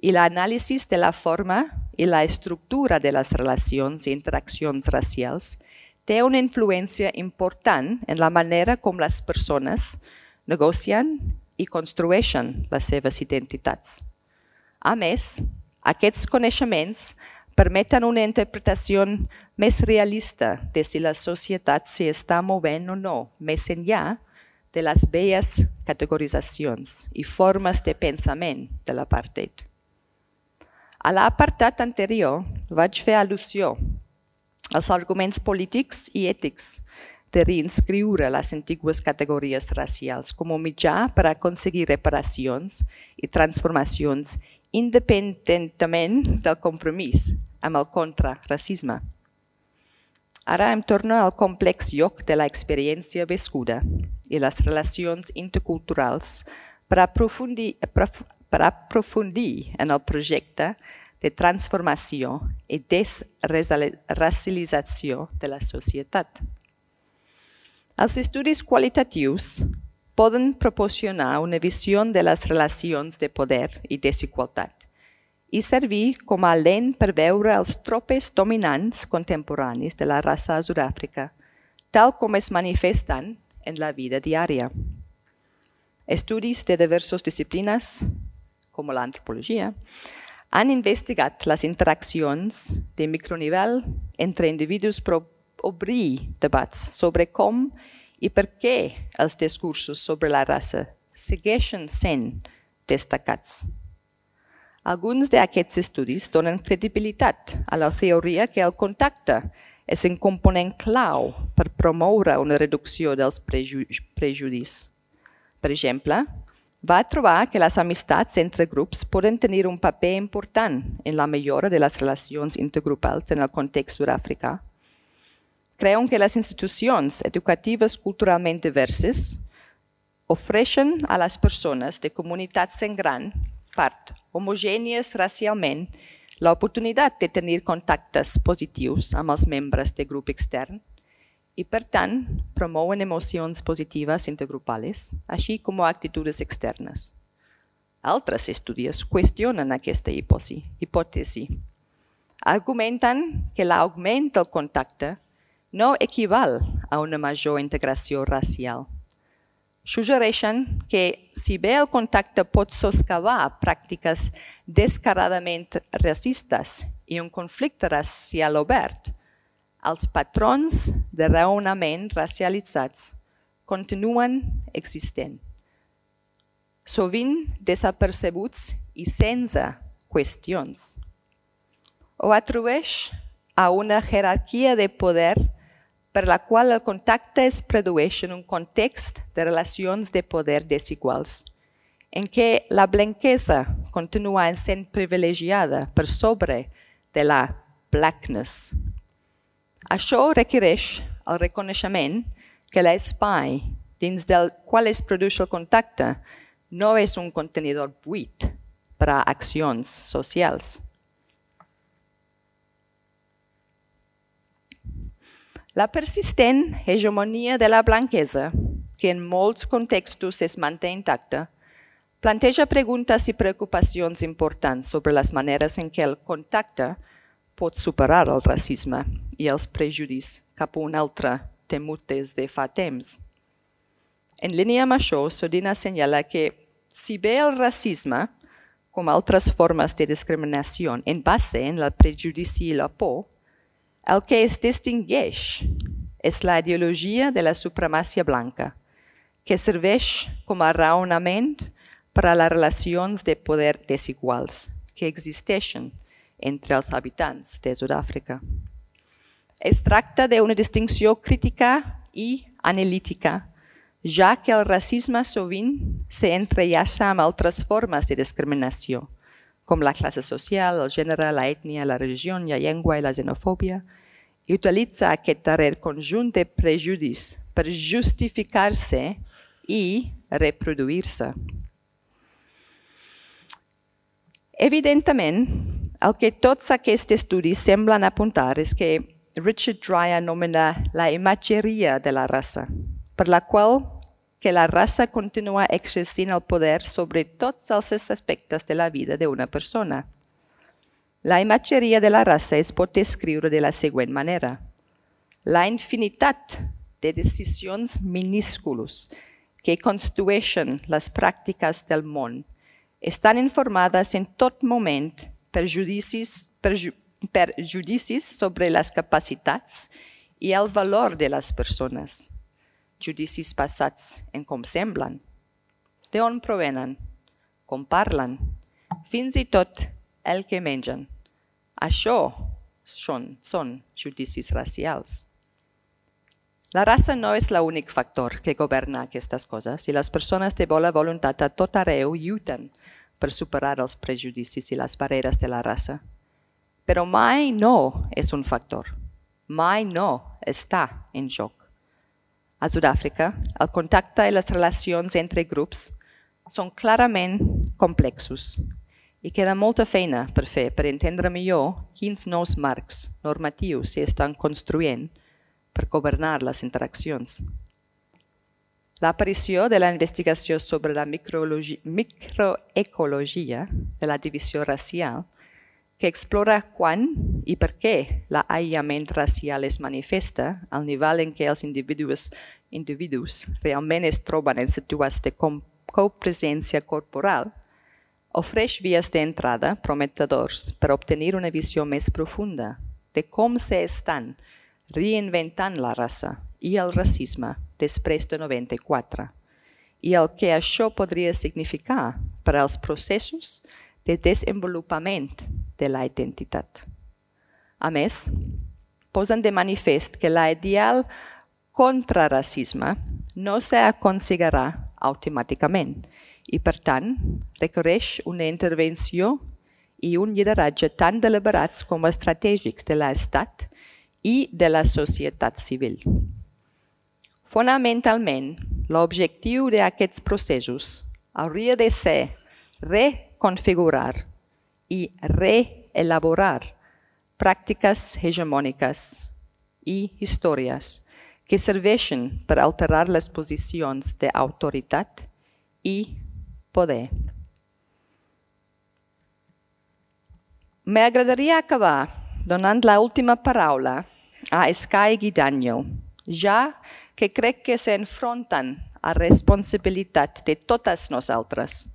i l'anàlisi de la forma i la estructura de les relacions i interaccions racials té una influència important en la manera com les persones negocien i construeixen les seves identitats. A més, aquests coneixements permeten una interpretació més realista de si la societat s'està movent o no, més enllà de les velles categoritzacions i formes de pensament de l'apartheid. A l'apartat anterior vaig fer al·lusió als arguments polítics i ètics de reinscriure les antigues categories racials com a mitjà per aconseguir reparacions i transformacions independentment del compromís amb el contraracisme. Ara em torno al complex lloc de l'experiència viscuda i les relacions interculturals per aprofundir en el projecte de transformació i desracialització de la societat. Els estudis qualitatius poden proporcionar una visió de les relacions de poder i desigualtat i servir com a lent per veure els tropes dominants contemporanis de la raça a Sud-àfrica, tal com es manifesten en la vida diària. Estudis de diverses disciplines, com l'antropologia, han investigat les interaccions de micronivell entre individus per obrir debats sobre com i per què els discursos sobre la raça segueixen sent destacats. Alguns d'aquests estudis donen credibilitat a la teoria que el contacte és un component clau per promoure una reducció dels prejudicis. Per exemple, va trobar que les amistats entre grups poden tenir un paper important en la millora de les relacions intergrupals en el context sud-africà. Creuen que les institucions educatives culturalment diverses ofereixen a les persones de comunitats en gran part homogènies racialment l'oportunitat de tenir contactes positius amb els membres de grup extern i, per tant, promouen emocions positives intergrupals, així com actituds externes. Altres estudis qüestionen aquesta hipòtesi. Argumenten que l'augment del contacte no equival a una major integració racial. Suggereixen que, si bé el contacte pot soscavar pràctiques descaradament racistes i un conflicte racial obert, els patrons de raonament racialitzats continuen existent, sovint desapercebuts i sense qüestions. Ho atribueix a una jerarquia de poder per la qual el contacte es produeix en un context de relacions de poder desiguals, en què la blanquesa continua sent privilegiada per sobre de la blackness. Això requereix el reconeixement que l'espai dins del qual es produeix el contacte no és un contenidor buit per a accions socials. La persistent hegemonia de la blanquesa, que en molts contextos es manté intacta, planteja preguntes i preocupacions importants sobre les maneres en què el contacte pot superar el racisme i els prejudicis cap a un altre temut des de fa temps. En línia amb això, Sodina assenyala que, si bé el racisme, com altres formes de discriminació, en base en el prejudici i la por, el que es distingueix és la ideologia de la supremàcia blanca, que serveix com a raonament per a les relacions de poder desiguals que existeixen entre els habitants de Sud-àfrica. Es tracta d'una distinció crítica i analítica, ja que el racisme sovint s'entrellaça amb altres formes de discriminació, com la classe social, el gènere, la ètnia, la religió, la llengua i la xenofòbia, i utilitza aquest darrer conjunt de prejudicis per justificar-se i reproduir-se. Evidentment, el que tots aquests estudis semblen apuntar és que Richard Dreier anomena la imatgeria de la raça, per la qual que la raça continua exercint el poder sobre tots els aspectes de la vida d'una persona. La imatgeria de la raça es pot descriure de la següent manera. La infinitat de decisions minúscules que constitueixen les pràctiques del món estan informades en tot moment per judicis sobre les capacitats i el valor de les persones. Judicis basats en com semblen, d'on provenen, com parlen, fins i tot el que mengen. Això són judicis racials. La raça no és l'únic factor que governa aquestes coses i les persones de bona voluntat a tot arreu lluiten per superar els prejudicis i les barreres de la raça. Però mai no és un factor, mai no està en joc. A Sud-àfrica, el contacte i les relacions entre grups són clarament complexos i queda molta feina per fer per entendre millor quins nous marcs normatius s'estan construint per governar les interaccions. L'aparició de la investigació sobre la microecologia de la divisió racial, que explora quan i per què l'aïllament racial es manifesta al nivell en què els individus realment es troben en situacions de copresència corporal, ofereix vies d'entrada prometedors per obtenir una visió més profunda de com s'estan reinventant la raça i el racisme després de 94 i el que això podria significar per als processos de desenvolupament de la identitat. A més, posen de manifest que l'ideal contra racisme no s'aconseguirà automàticament i, per tant, requereix una intervenció i un lideratge tan deliberats com estratègics de l'Estat i de la societat civil. Fonamentalment, l'objectiu d'aquests processos hauria de ser reconfigurar i reelaborar pràctiques hegemòniques i històries que serveixen per alterar les posicions d'autoritat i poder. M'agradaria acabar donant l'última paraula a Sky i Daniel, ja que crec que s'enfronten a responsabilitat de totes nosaltres,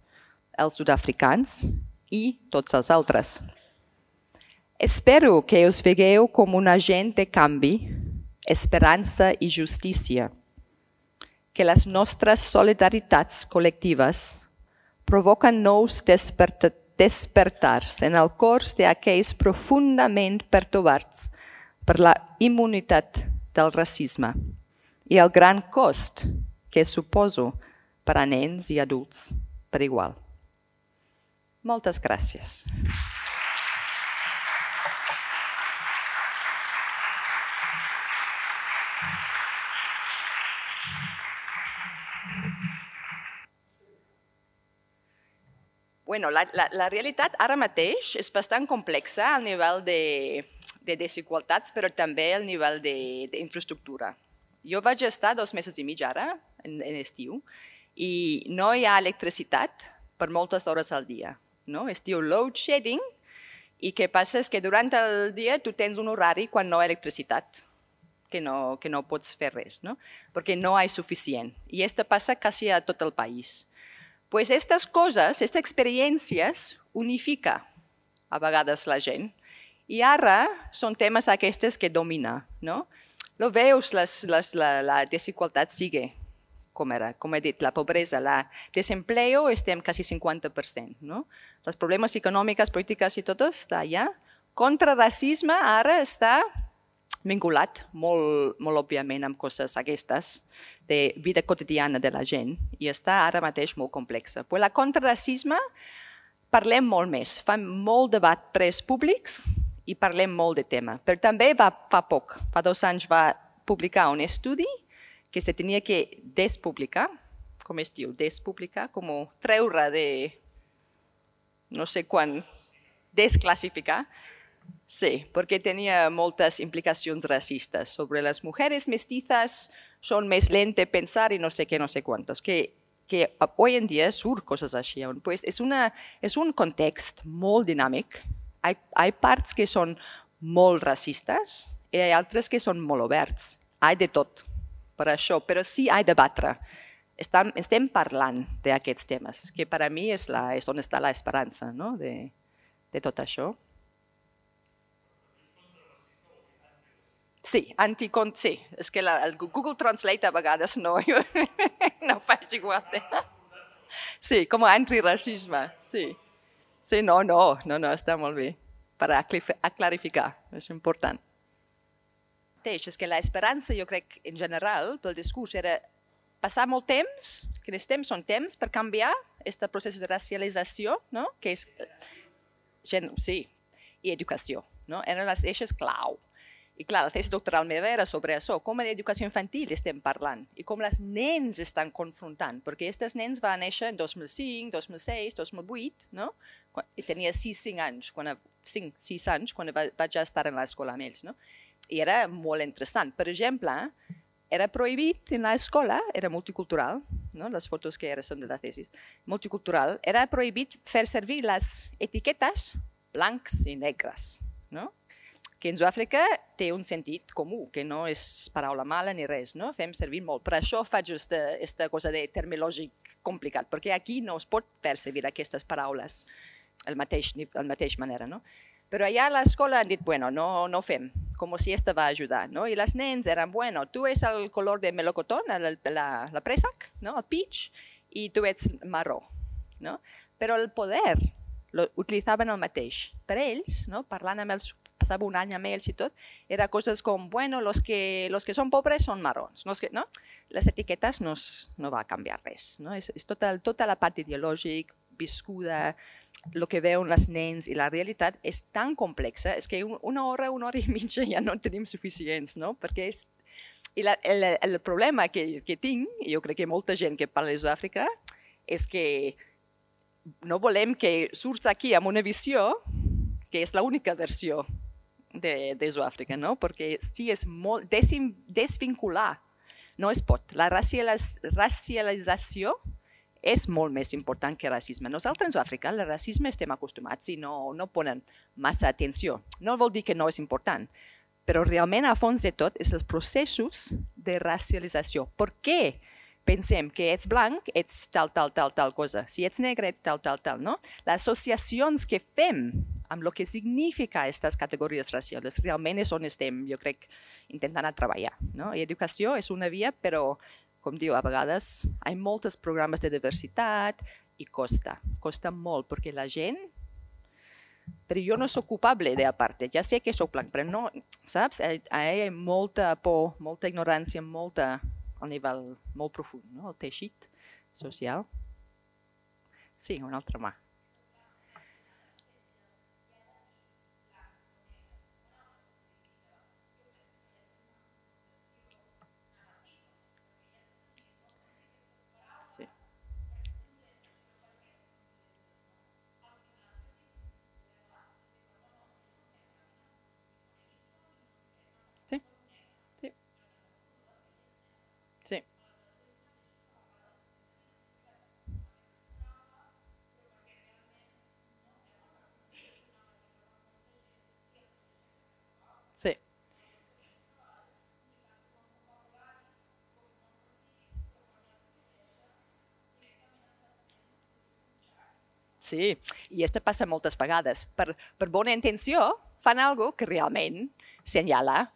els sud-africans i tots els altres. Espero que us vegueu com un agent de canvi, esperança i justícia, que les nostres solidaritats col·lectives provoquen nous despertars en el cors d'aquells profundament pertorbats per la immunitat del racisme i el gran cost que suposo per a nens i adults per igual. Moltes gràcies. Bueno, la realitat ara mateix és bastant complexa al nivell de desigualtats, però també al nivell d'infraestructura. Jo vaig estar 2 mesos i mig ara, en estiu, i no hi ha electricitat per moltes hores al dia. Es diu load shedding, i què passa és que durant el dia tu tens un horari quan no hi ha electricitat, que no pots fer res, perquè no hi ha suficient. I això passa quasi a tot el país. Pues estas coses, estas experiències, unifica a vegades la gent. I ara són temes aquests que domina. Lo veus, la desigualtat sigue com era, com he dit, la pobresa, el desempleo estem quasi 50%. Els problemes econòmics, polítics i tot està allà. Contra racisme ara està vinculat molt òbviament amb coses aquestes de vida quotidiana de la gent i està ara mateix molt complexa. Però la contraracisme parlem molt més, fem molt debat pres públics i parlem molt de tema. Però també fa poc, fa 2 anys va publicar un estudi que se tenia que despublicar, com es diu, despublicar, com treure de no sé quan, desclassificar. Sí, perquè tenia moltes implicacions racistes sobre les mujeres mestizas, són més lentes de pensar i no sé què, no sé quantos, que hoy en dia surt coses així. Pues és un context molt dinàmic. Hi ha parts que són molt racistes i hi ha altres que són molt oberts. Hi ha de tot per això, però sí hi ha de debatre estem parlant d'aquests temes, que per a mi és on està l'esperança, no? De tot això. Sí, sí, és que el Google Translate a vegades no faig igual. Sí, com a antirracisme, sí. Sí, no, està molt bé, per clarificar, és important. És que l'esperança, jo crec, en general, pel discurs, era passar molt temps, que els temps són temps per canviar aquest procés de racialització, no? Que és, sí, i educació, no? Eren les eixes clau. I clar, la tesi doctoral meva era sobre això, com en educació infantil estem parlant i com els nens estan confrontant, perquè aquests nens van néixer en 2005, 2006, 2008, no? I tenia 6 anys, quan vaig estar en l'escola amb ells, no? I era molt interessant. Per exemple, era prohibit en l'escola, era multicultural, no? Les fotos que ara són de la tesi, multicultural, era prohibit fer servir les etiquetes blancs i negres, no? Que en Sud-àfrica té un sentit comú, que no és paraula mala ni res, no? Fem servir molt. Per això faig aquesta cosa de terminològic complicat, perquè aquí no es pot fer servir aquestes paraules de la mateixa manera, no? Però allà a l'escola han dit, bueno, no fem, com si aquesta va ajudar, no? I les nens eren, bueno, tu és el color de melocotón, la préssec, no? El peach, i tu ets marró, no? Però el poder utilitzaven el mateix. Per ells, no? Parlant amb els passava un any amb ells i tot, era coses com, bueno, los que són pobres són marrons, no? Les etiquetes no va canviar res, no? És tota la part ideològica, viscuda, el que veuen els nens i la realitat és tan complexa, és que una hora i mitja ja no en tenim suficients, no? Perquè el problema que tinc, i jo crec que molta gent que parla de Sud-àfrica, és que no volem que surts aquí amb una visió que és l'única versió de Sud-àfrica, no? Perquè sí, és molt desvincular, no es pot. La racialització és molt més important que el racisme. Nosaltres a Sud-àfrica, el racisme estem acostumats i no ponen massa atenció. No vol dir que no és important, però realment a fons de tot és els processos de racialització. Per què pensem que ets blanc, ets tal cosa. Si ets negre, ets tal, no? Les associacions que fem amb el que significa aquestes categories racials realment és on estem, jo crec, intentant treballar, no? I educació és una via, però, com diu, a vegades hi ha molts programes de diversitat i costa molt, perquè la gent... Però jo no soc culpable de part, ja sé que soc blanc, però no, saps? Hi ha molta por, molta ignorància, al nivell molt profund, no? El teixit social. Sí, una altra mà. Sí. Sí, i això passa moltes vegades. Per bona intenció fan alguna cosa que realment senyala,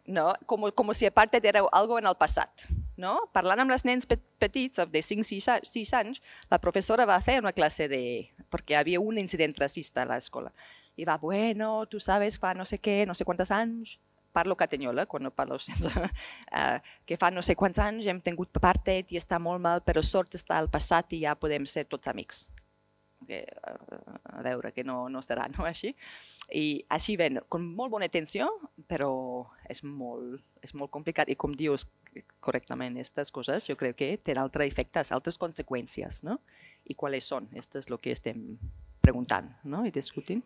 no? Com si a part era algo en el passat. No? Parlant amb els nens petits, de 5-6 anys, la professora va fer una classe perquè hi havia un incident racista a l'escola. I va, bueno, tu sabes, fa no sé què, no sé quants anys, parlo catanyola, quan no parlo sense, que fa no sé quants anys hem tingut apartheid i està molt mal, però sort està al passat i ja podem ser tots amics. A veure que no serà, no? Així. I així ven, amb molt bona intenció, però és molt complicat. I com dius correctament, aquestes coses jo crec que tenen altres efectes, altres conseqüències, no? I quals són? Esto és el que estem preguntant, no? I discutint.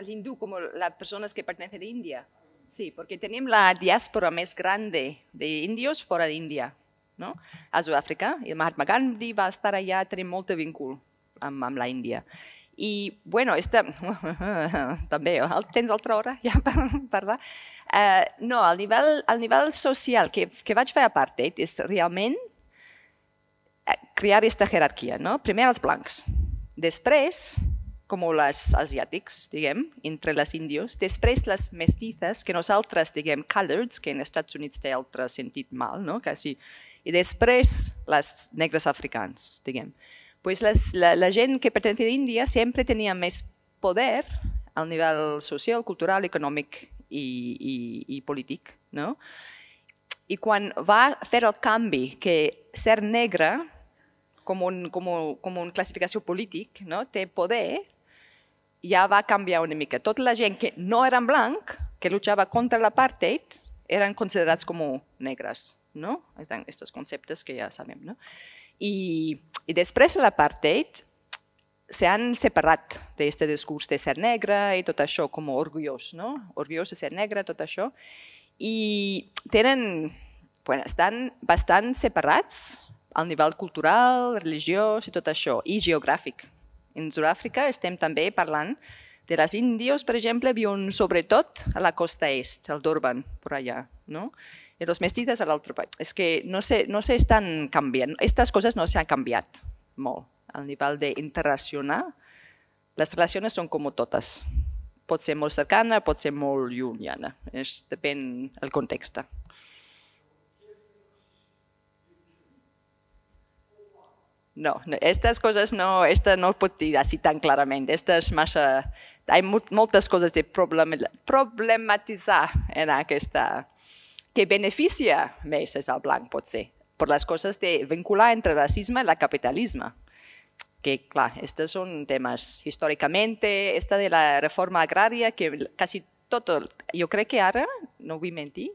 L'hindú, com les persones que pertenecen a Índia. Sí, perquè tenim la diàspora més gran d'índios fora d'Índia, no? A Sud-àfrica. I Mahatma Gandhi va estar allà, tenim molt vincul amb la Índia. I, bueno, també, tens altra hora ja per parlar? No, al nivell social que vaig fer apartheid és realment crear aquesta jerarquia, no? Primer els blancs, després, com els asiàtics, diguem, entre les índios, després les mestizes, que nosaltres diguem coloreds, que en Estats Units té altre sentit mal, no? Quasi. I després les negres africans, diguem. Pues la gent que pertenece a Índia sempre tenia més poder al nivell social, cultural, econòmic i polític, no? I quan va fer el canvi que ser negre com una classificació polític, no? Té poder, ja va canviar una mica. Tota la gent que no eren blanc, que lluitava contra l'apartheid, eren considerats com negres, no? Estos conceptes que ja sabem, no? I després de l'apartheid s'han separat d'aquest discurs de ser negre i tot això com orgullós, no? Orgullós de ser negre, tot això. I estan bastant separats al nivell cultural, religiós i tot això, i geogràfic. En Sud-àfrica estem també parlant de les índios, per exemple, viuen sobretot a la costa est, al Durban, per allà, no? I els mestizos a l'altre país. És que no s'estan canviant. Aquestes coses no s'han canviat molt. Al nivell d'interrelacionar, les relacions són com totes. Pot ser molt cercana, pot ser molt llunyana. Depèn del context. No, estas cosas no, esta no pot dir així tan clarament. Esta és massa... Hi ha moltes coses de problematitzar en aquesta... que beneficia més és el blanc, potser, per les coses de vincular entre racisme i el capitalisme. Que, clar, estos són temes històricament, esta de la reforma agrària, que quasi tot, jo crec que ara, no vull mentir,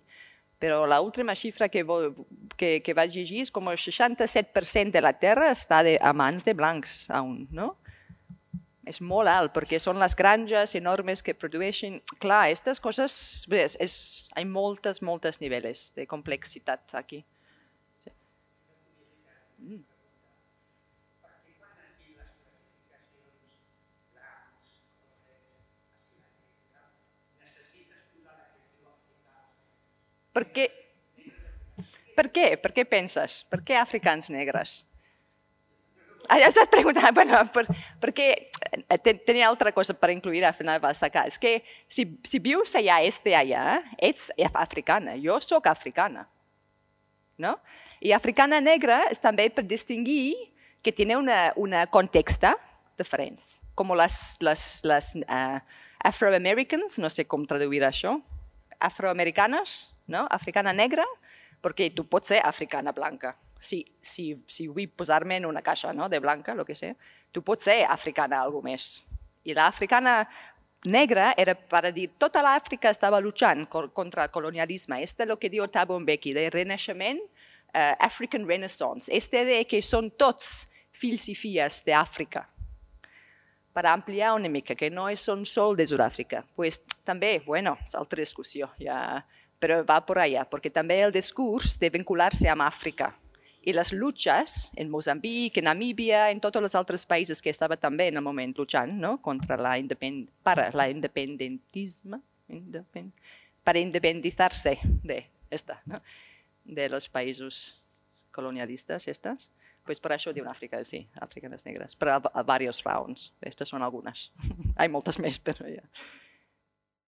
però l'última xifra que vaig llegir és com el 67% de la terra està a mans de blancs, no? És molt alt, perquè són les granges enormes que produeixen... Clar, aquestes coses... Hi ha moltes nivells de complexitat aquí. Per què? Per què penses? Per què africans negres? Ja estàs preguntant, bueno, perquè tenia altra cosa per incluir, al final va sacar. És que si vius allà, ets africana, jo soc africana. No? I africana negra és també per distingir que té un context diferent, com les Afro-Americans, no sé com traduir això, afroamericanes, no? Africana negra, perquè tu pots ser africana blanca. Si vull posar-me en una caixa de blanca, el que sé, tu pots ser africana algo més. I l'africana negra era per dir tota l'Àfrica estava lluitant contra el colonialisme. És el que diu Thabo Mbeki, del renaixement, African Renaissance. De que són tots fills i filles d'Àfrica. Per ampliar una mica, que no són sol de Sud-àfrica. Pues, també, bueno, és altra discussió, però va per allà, perquè també el discurs de vincular-se amb Àfrica. I les lluites en Moçambic, en Namíbia, en tots els altres països que estaven també en el moment lluitant contra l'independentisme, per independitzar-se de los països colonialistes. Pues per això diuen Àfrica, sí, àfricanes negres, per diverses raons. Aquestes són algunes. Hi ha moltes més, però ja.